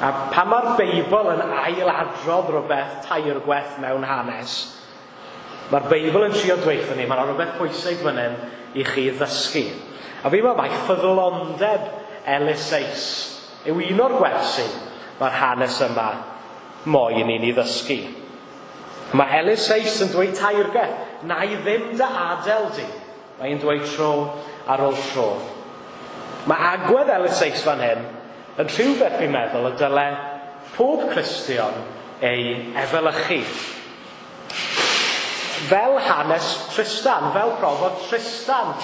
A pan mae'r Beibl yn ailadrodd rhywbeth tair gwaith mewn hanes, mae'r Beibl yn trio dweud ni, mae'n rhywbeth pwysig fan hyn i chi ddysgu. A fi'n meddwl mai ffyddlondeb Eliseus yw un o'r gwersi mae'r hanes yma moyn i ni ddysgu. Mae Eliseus yn dweud tair gwaith, na i ddim dy adael di. Mae'n dweud tro ar ôl tro. Mae agwedd Eliseus fan hyn yn rhywbeth fi'n meddwl y dyle pob Cristion ei efelychu. Fel hanes Tristan, fel profodd Tristan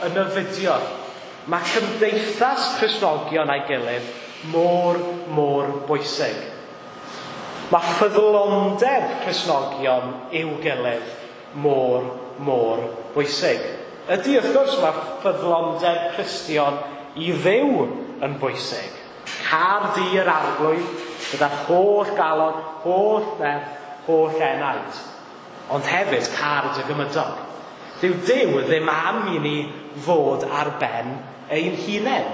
yn y fideo, mae cymdeithas Cristnogion a'i gilydd mor, mor bwysig. Mae ffyddlondeb Cristnogion i'w gilydd mor, mor bwysig. Ydy, wrth gwrs, mae ffyddlondeb Cristion i Dduw yn bwysig. Car di yr arglwydd gyda'r holl galon, holl nerth, holl enaid. Ond hefyd car dy gymydog. Dyw Duw ddim am i ni fod ar ben ein hunain.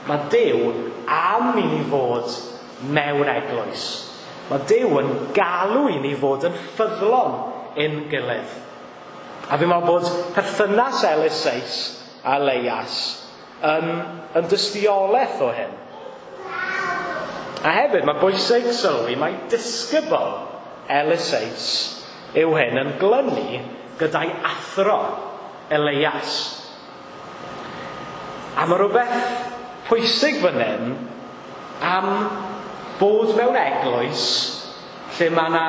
Mae Duw am i ni fod mewn eglwys. Mae Duw yn galw i ni fod yn ffyddlon ein gilydd. A fi'n meddwl bod perthynas Eliseus a Elias yn dystiolaeth o hyn. A hefyd mae bwysig sylwi mai disgybl Eliseus yw hyn yn glynu gyda'i athro Elias. A mae rhywbeth pwysig fan hyn am bod mewn eglwys lle mae yna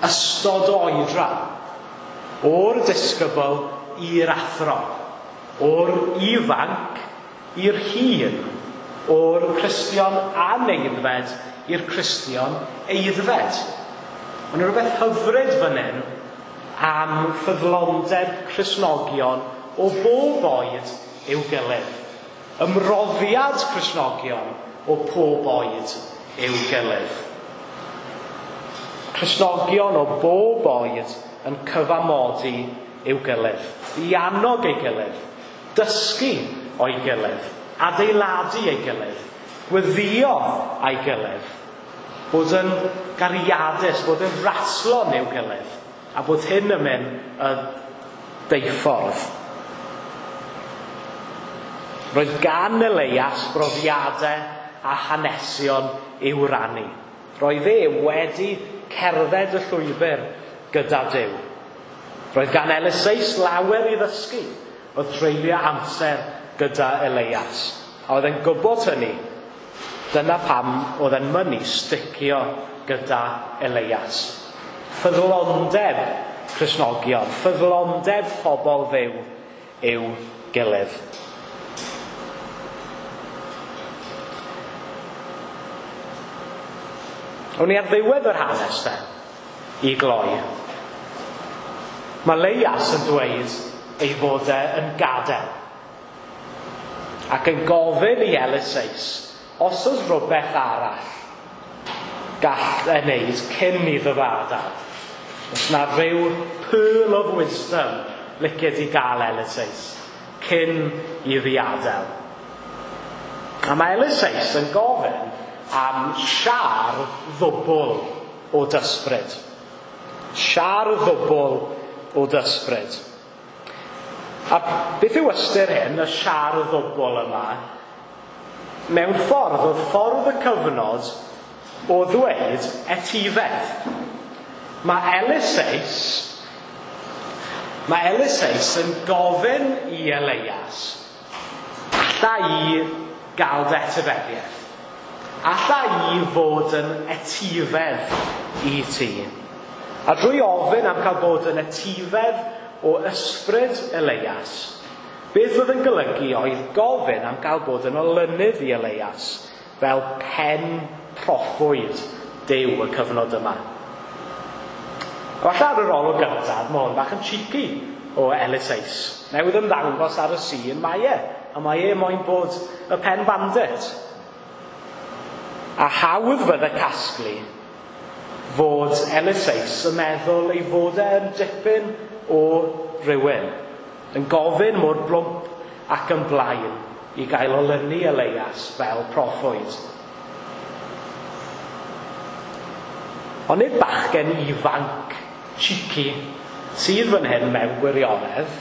ystod o oedran. O'r disgybl i'r athro, o'r ifanc i'r hŷn, o'r Cristion anewyddfed i'r Cristion aeddfed. Mae yna rhywbeth hyfryd fan hyn am ffyddlondeb Cristnogion o bob oed i'w gilydd. Ymroddiad Cristnogion o pob oed i'w gilydd. Cristnogion o bob oed yn cyfamodi i'w gilydd, i annog ei gilydd, dysgu o'i gilydd, adeiladu ei gilydd, gweddio a'i gilydd, bod yn gariadus, bod yn raslon i'w gilydd, a bod hyn yn mynd y deuffordd. Roedd gan Elias brofiadau a hanesion i'w rannu. Roedd e wedi cerdded y llwybr gyda Duw. Roedd gan Eliseus lawer i ddysgu oedd treulio amser gyda Elias. A oedd e'n gwybod hynny. Dyna pam oedd e'n mynnu sticio gyda Elias. Ffyddlondeb Cristnogion, ffyddlondeb pobl Dduw i'w gilydd. O'n i ar ddiwedd yr hanes de, i gloi. Mae Elias yn dweud ei fod e yn gadael. Ac yn gofyn i Eliseus, os oes rhywbeth arall gall e wneud cyn iddo fe adael. Os na rhyw pearl of wisdom liced i gael Eliseus cyn i fi adael. A mae Eliseus yn gofyn am siâr ddwbl o d'ysbryd. Siâr ddwbl o d'ysbryd. A beth yw ystyr hyn, y siâr ddwbl yma? Mewn ffordd, oedd ffordd y cyfnod o ddweud etifedd. Mae Eliseus yn gofyn i Elias, alla i gael dy etifeddiaeth? Alla i fod yn etifedd i ti? A drwy ofyn am cael bod yn etifedd o ysbryd Elias, beth oedd yn golygu oedd gofyn am gael bod yn olynydd i Elias fel pen proffwyd Duw y cyfnod yma. A falle ar yr olwg gyntaf, mae hwn bach yn cheeky o Eliseus. Newydd ymddangos ar y sîn mae e, a mae e moyn bod y pen bandit. A hawdd fydde casglu fod Eliseus yn meddwl ei fod e yn dipyn o rywun, yn gofyn mor blwmp ac yn blaen i gael olynu Elias fel proffwyd. Ond nid bachgen ifanc, cheeky, sydd fan hyn mewn gwirionedd,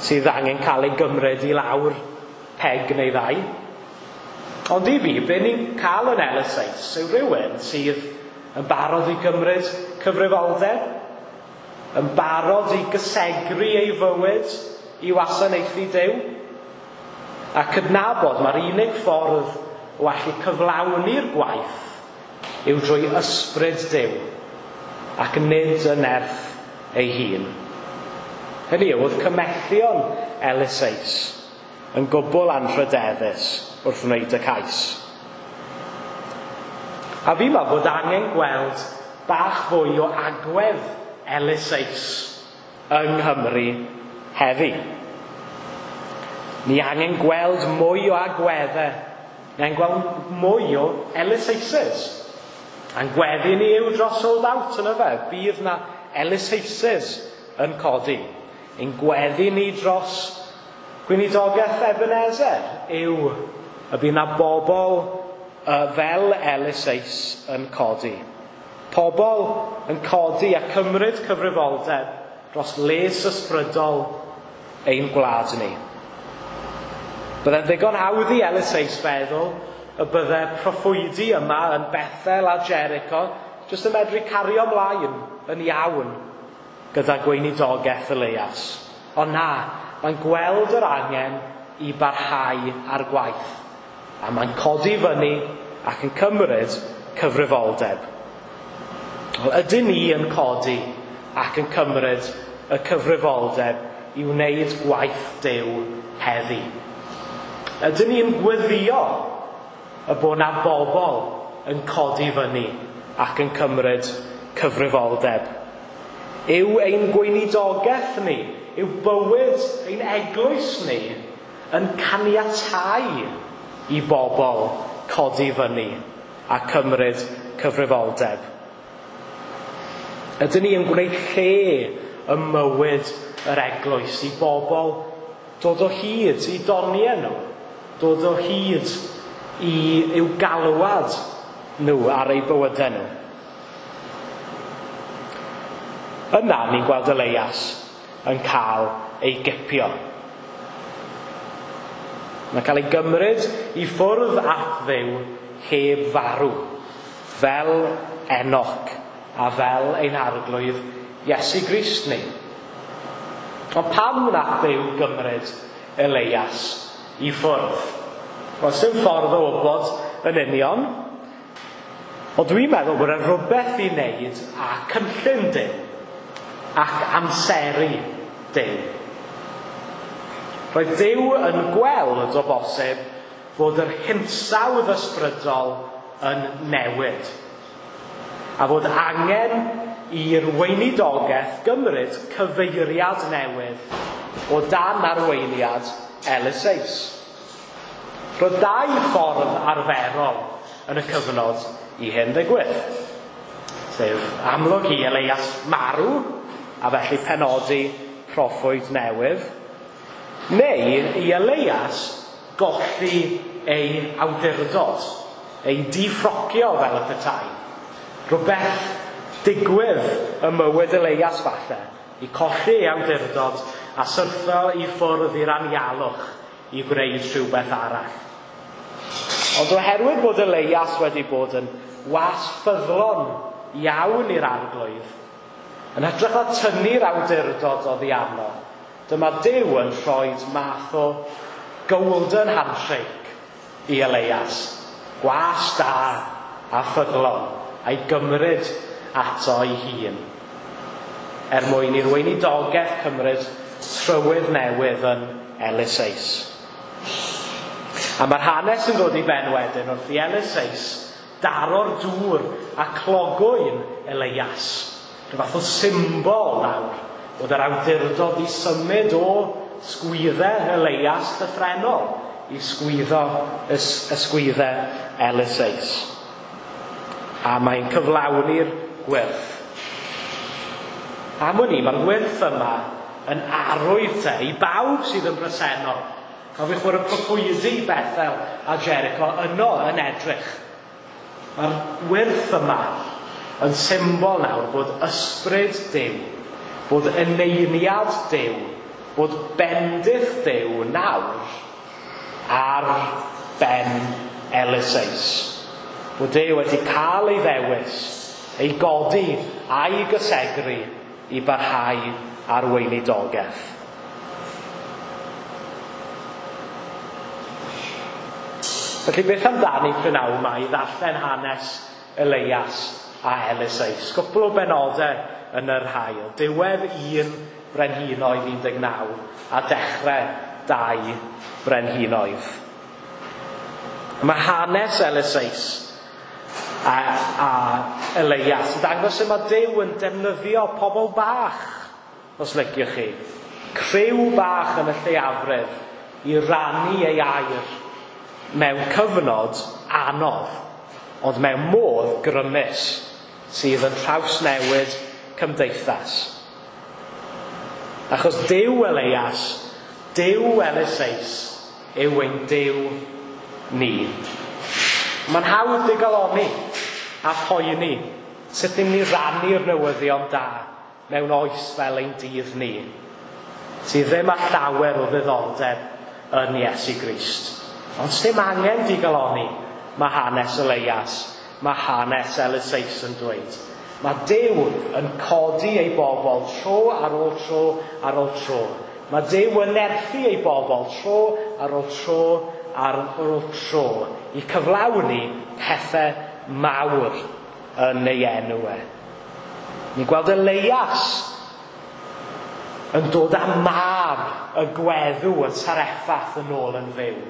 sydd angen cael ei gymryd i lawr peg neu ddau. Ond i fi, be ni'n cael yn Eliseus yw rhywun sydd yn barod i gymryd cyfrifoldeb, yn barod i gysegru ei fywyd i wasanaethu Duw, a cydnabod mae'r unig ffordd o allu cyflawni'r gwaith yw drwy ysbryd Duw ac nid y nerth ei hun. Hynny yw, oedd cymellion Eliseus yn gwbl anrhydeddus wrth wneud y cais. A fi'n meddwl bod angen gweld bach fwy o agwedd Eliseus yng Nghymru heddi. Ni angen gweld mwy o agweddau. Ni angen gweld mwy o Eliseuses. A'n gweddi ni yw dros Sold Out yn yfe. Bydd na Eliseuses yn codi. Ein gweddi ni dros gweinidogaeth Ebenezer yw y bydd na bobl fel Eliseus yn codi. Pobl yn codi a cymryd cyfrifoldeb dros les ysbrydol ein gwlad ni. Byddai'n ddigon hawdd i Eliseus feddwl y bydde proffwydi yma yn Bethel a Jericho jyst yn medru cario ymlaen yn iawn gyda gweinidogaeth Elias. Ond na, mae'n gweld yr angen i barhau ar gwaith. A mae'n codi fyny ac yn cymryd cyfrifoldeb. Wel, ydyn ni yn codi ac yn cymryd y cyfrifoldeb i wneud gwaith Duw heddi? Ydyn ni'n gweddio y bod na bobl yn codi fyny ac yn cymryd cyfrifoldeb? Yw ein gweinidogaeth ni, yw bywyd ein eglwys ni yn caniatáu i bobl codi fyny a cymryd cyfrifoldeb? Ydyn ni yn gwneud lle ym mywyd yr eglwys i bobl dod o hyd i doniau nhw, dod o hyd i i'w galwad nhw ar eu bywydau nhw? Yna ni'n gweld Elias yn cael ei gipio. Mae'n cael ei gymryd i ffwrdd at Dduw heb farw, fel Enoch a fel ein arglwydd Iesu Grist ni. Ond pam wnaeth Dduw gymryd Elias i ffwrdd? Wel, sdim ffordd o wybod yn union, ond dwi'n meddwl bod e rhywbeth i wneud â cynllun Duw ac amseru Duw. Roedd Duw yn gweld o bosib fod yr hinsawdd ysbrydol yn newid a fod angen i'r weinidogaeth gymryd cyfeiriad newydd o dan arweiniad Eliseus. Roedd dau ffordd arferol yn y cyfnod i hyn ddigwydd. Sef amlwg i Elias marw, a felly penodi proffwyd newydd, neu i Elias golli ei awdurdod, ei difrocio fel y petai. Rhywbeth digwydd ym mywyd Elias falle, i colli ei awdurdod a syrthio i ffwrdd i'r anialwch i gwneud rhywbeth arall. Ond oherwydd bod Elias wedi bod yn was ffyddlon iawn i'r arglwydd, yn hytrach na tynnu'r awdurdod oddi arno, dyma Duw yn rhoi math o golden handshake i Elias, gwas da a ffyddlon, a'i gymryd ato ei hun, er mwyn i'r weinidogaeth cymryd trywydd newydd yn Eliseus. A mae'r hanes yn dod i ben wedyn wrth i Eliseus daro'r dŵr a clogwyn Elias. Rhyw fath o symbol nawr bod yr awdurdod i symud o sgwyddau Elias llythrennol i sgwyddo ysgwyddau Eliseus. A mae'n cyflawni'r gwyrth. Am wn i, mae'r gwyrth yma yn arwydd te i bawb sydd yn bresennol. Cofiwch bod y proffwydi Bethel a Jericho yno yn edrych. Mae'r gwyrth yma yn symbol nawr bod ysbryd Duw, bod eneiniad Duw, bod bendith Duw nawr ar ben Eliseus. Bod e wedi cael ei ddewis, ei godi a'i gysegru i barhau ar weinidogaeth. Felly beth amdani prynawn yma i ddarllen hanes Elias a Eliseus? Cwpl o benodau yn yr haul. Diwedd 1 Brenhinoedd 19 a dechrau 2 Brenhinoedd. Mae hanes Eliseus a Elias yn dangos sut mae Duw yn defnyddio pobl bach, os liciwch chi. Criw bach yn y lleiafrif i rannu ei air mewn cyfnod anodd, ond mewn modd grymus sydd yn trawsnewid cymdeithas. Achos Duw Elias, Duw Eliseus yw ein Duw ni. Mae'n hawdd digalonni a phoeni sut ni'n mynd i rannu'r newyddion da mewn oes fel ein dydd ni, sydd ddim â llawer o ddiddordeb yn Iesu Grist. Ond sdim angen digalonni, mae hanes Elias, mae hanes Eliseus yn dweud. Mae Duw yn codi ei bobl tro ar ôl tro ar ôl tro. Mae Duw yn nerthu ei bobl tro ar ôl tro ar ôl tro i cyflawni pethau mawr yn ei enw e. Ni'n gweld Elias yn dod â mab y gweddw yn Sareffath yn ôl yn fyw.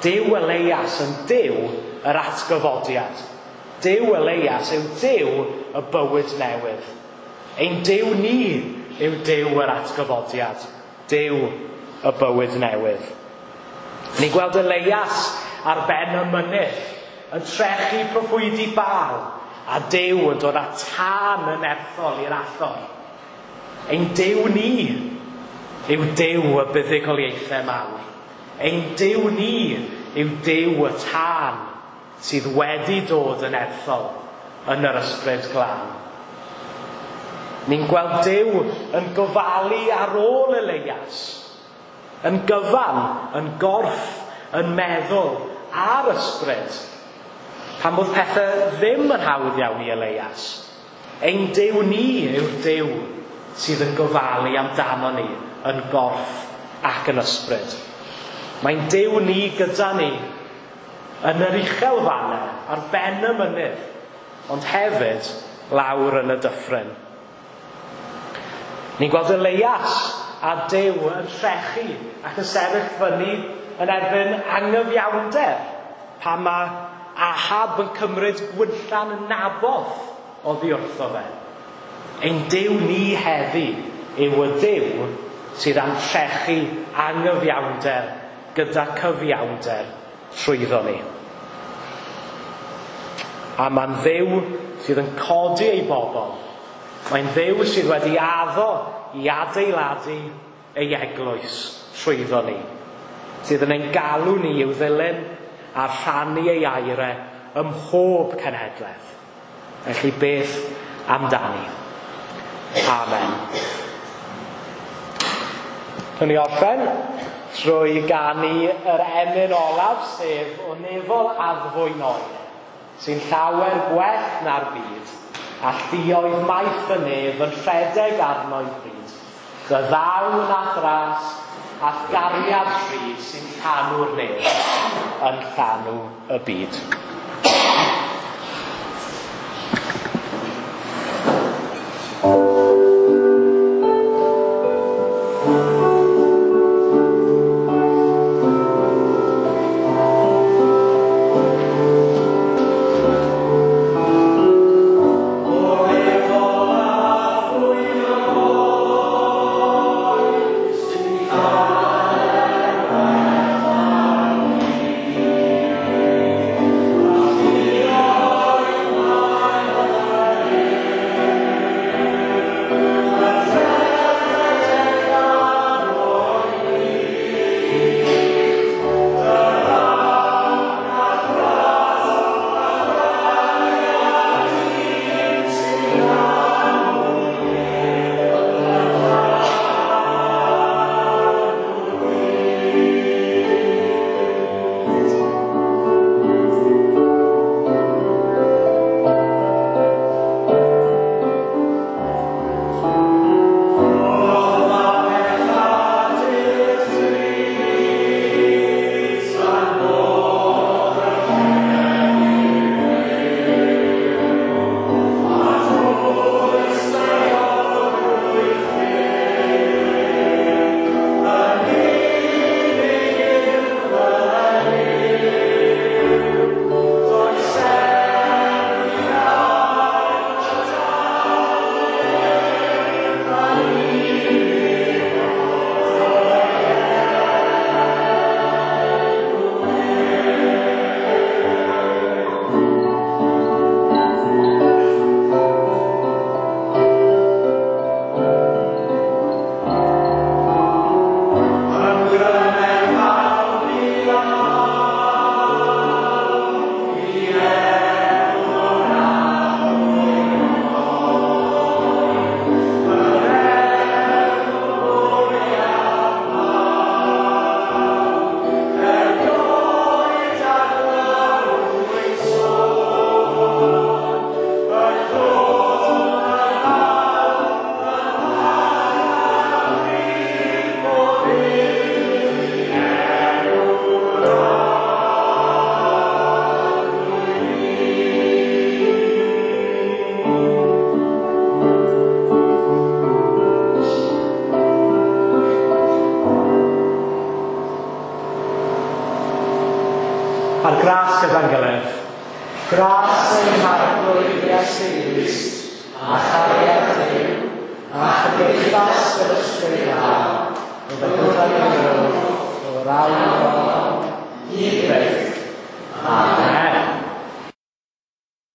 Duw Elias yn Duw yr atgyfodiad. Duw Elias yw Duw y bywyd newydd. Ein Duw ni yw Duw yr atgyfodiad. Duw y bywyd newydd. Ni'n gweld Elias ar ben y mynydd yn trechu proffwydi Baal a Duw yn dod â tân yn erthol i'r allor. Ein Duw ni yw Duw y buddugoliaethau mawr. Ein Duw ni yw Duw y tân sydd wedi dod yn erthol yn yr ysbryd glân. Ni'n gweld Duw yn gofalu ar ôl Elias, yn gyfan, yn gorff, yn meddwl a'r ysbryd, pan bod pethau ddim yn hawdd iawn i Elias. Ein Duw ni yw'r Duw sydd yn gofalu amdano ni yn gorff ac yn ysbryd. Mae'n Duw ni gyda ni yn yr uchel fannau, ar ben y mynydd, ond hefyd lawr yn y dyffryn. Ni'n gweld Elias a Duw yn trechu ac yn sefyll fyny yn erbyn angyfiawnder pan mae Ahab yn cymryd gwynllan Naboth oddi wrtho fe. Ein Duw ni heddi yw y Duw sydd am trechu angyfiawnder gyda cyfiawnder trwyddo ni. A mae'n Dduw sydd yn codi ei bobl. Mae'n Dduw sydd wedi addo i adeiladu ei eglwys trwyddo ni. Sydd yn ein galw ni i'w ddilyn a rhannu ei aire ym mhob cenhedlaeth. Felly beth amdani? Amen. Rwy'n ni orffen trwy ganu yr emyn olaf, sef o nefol addfwyn oer, sy'n llawer gwell na'r byd, a lluoedd maith y nef yn rhedeg arno'i bryd. Dy ddawn a thras a'th gariad rhydd sy'n llanw'r nef yn llanw y byd. gras gyda'n gilydd. Gras ein Harglwydd Iesu Grist, a chariad Duw, a chymdeithas yr Ysbryd Glân, o gyda'n gilydd, o'r awr hon, i byth.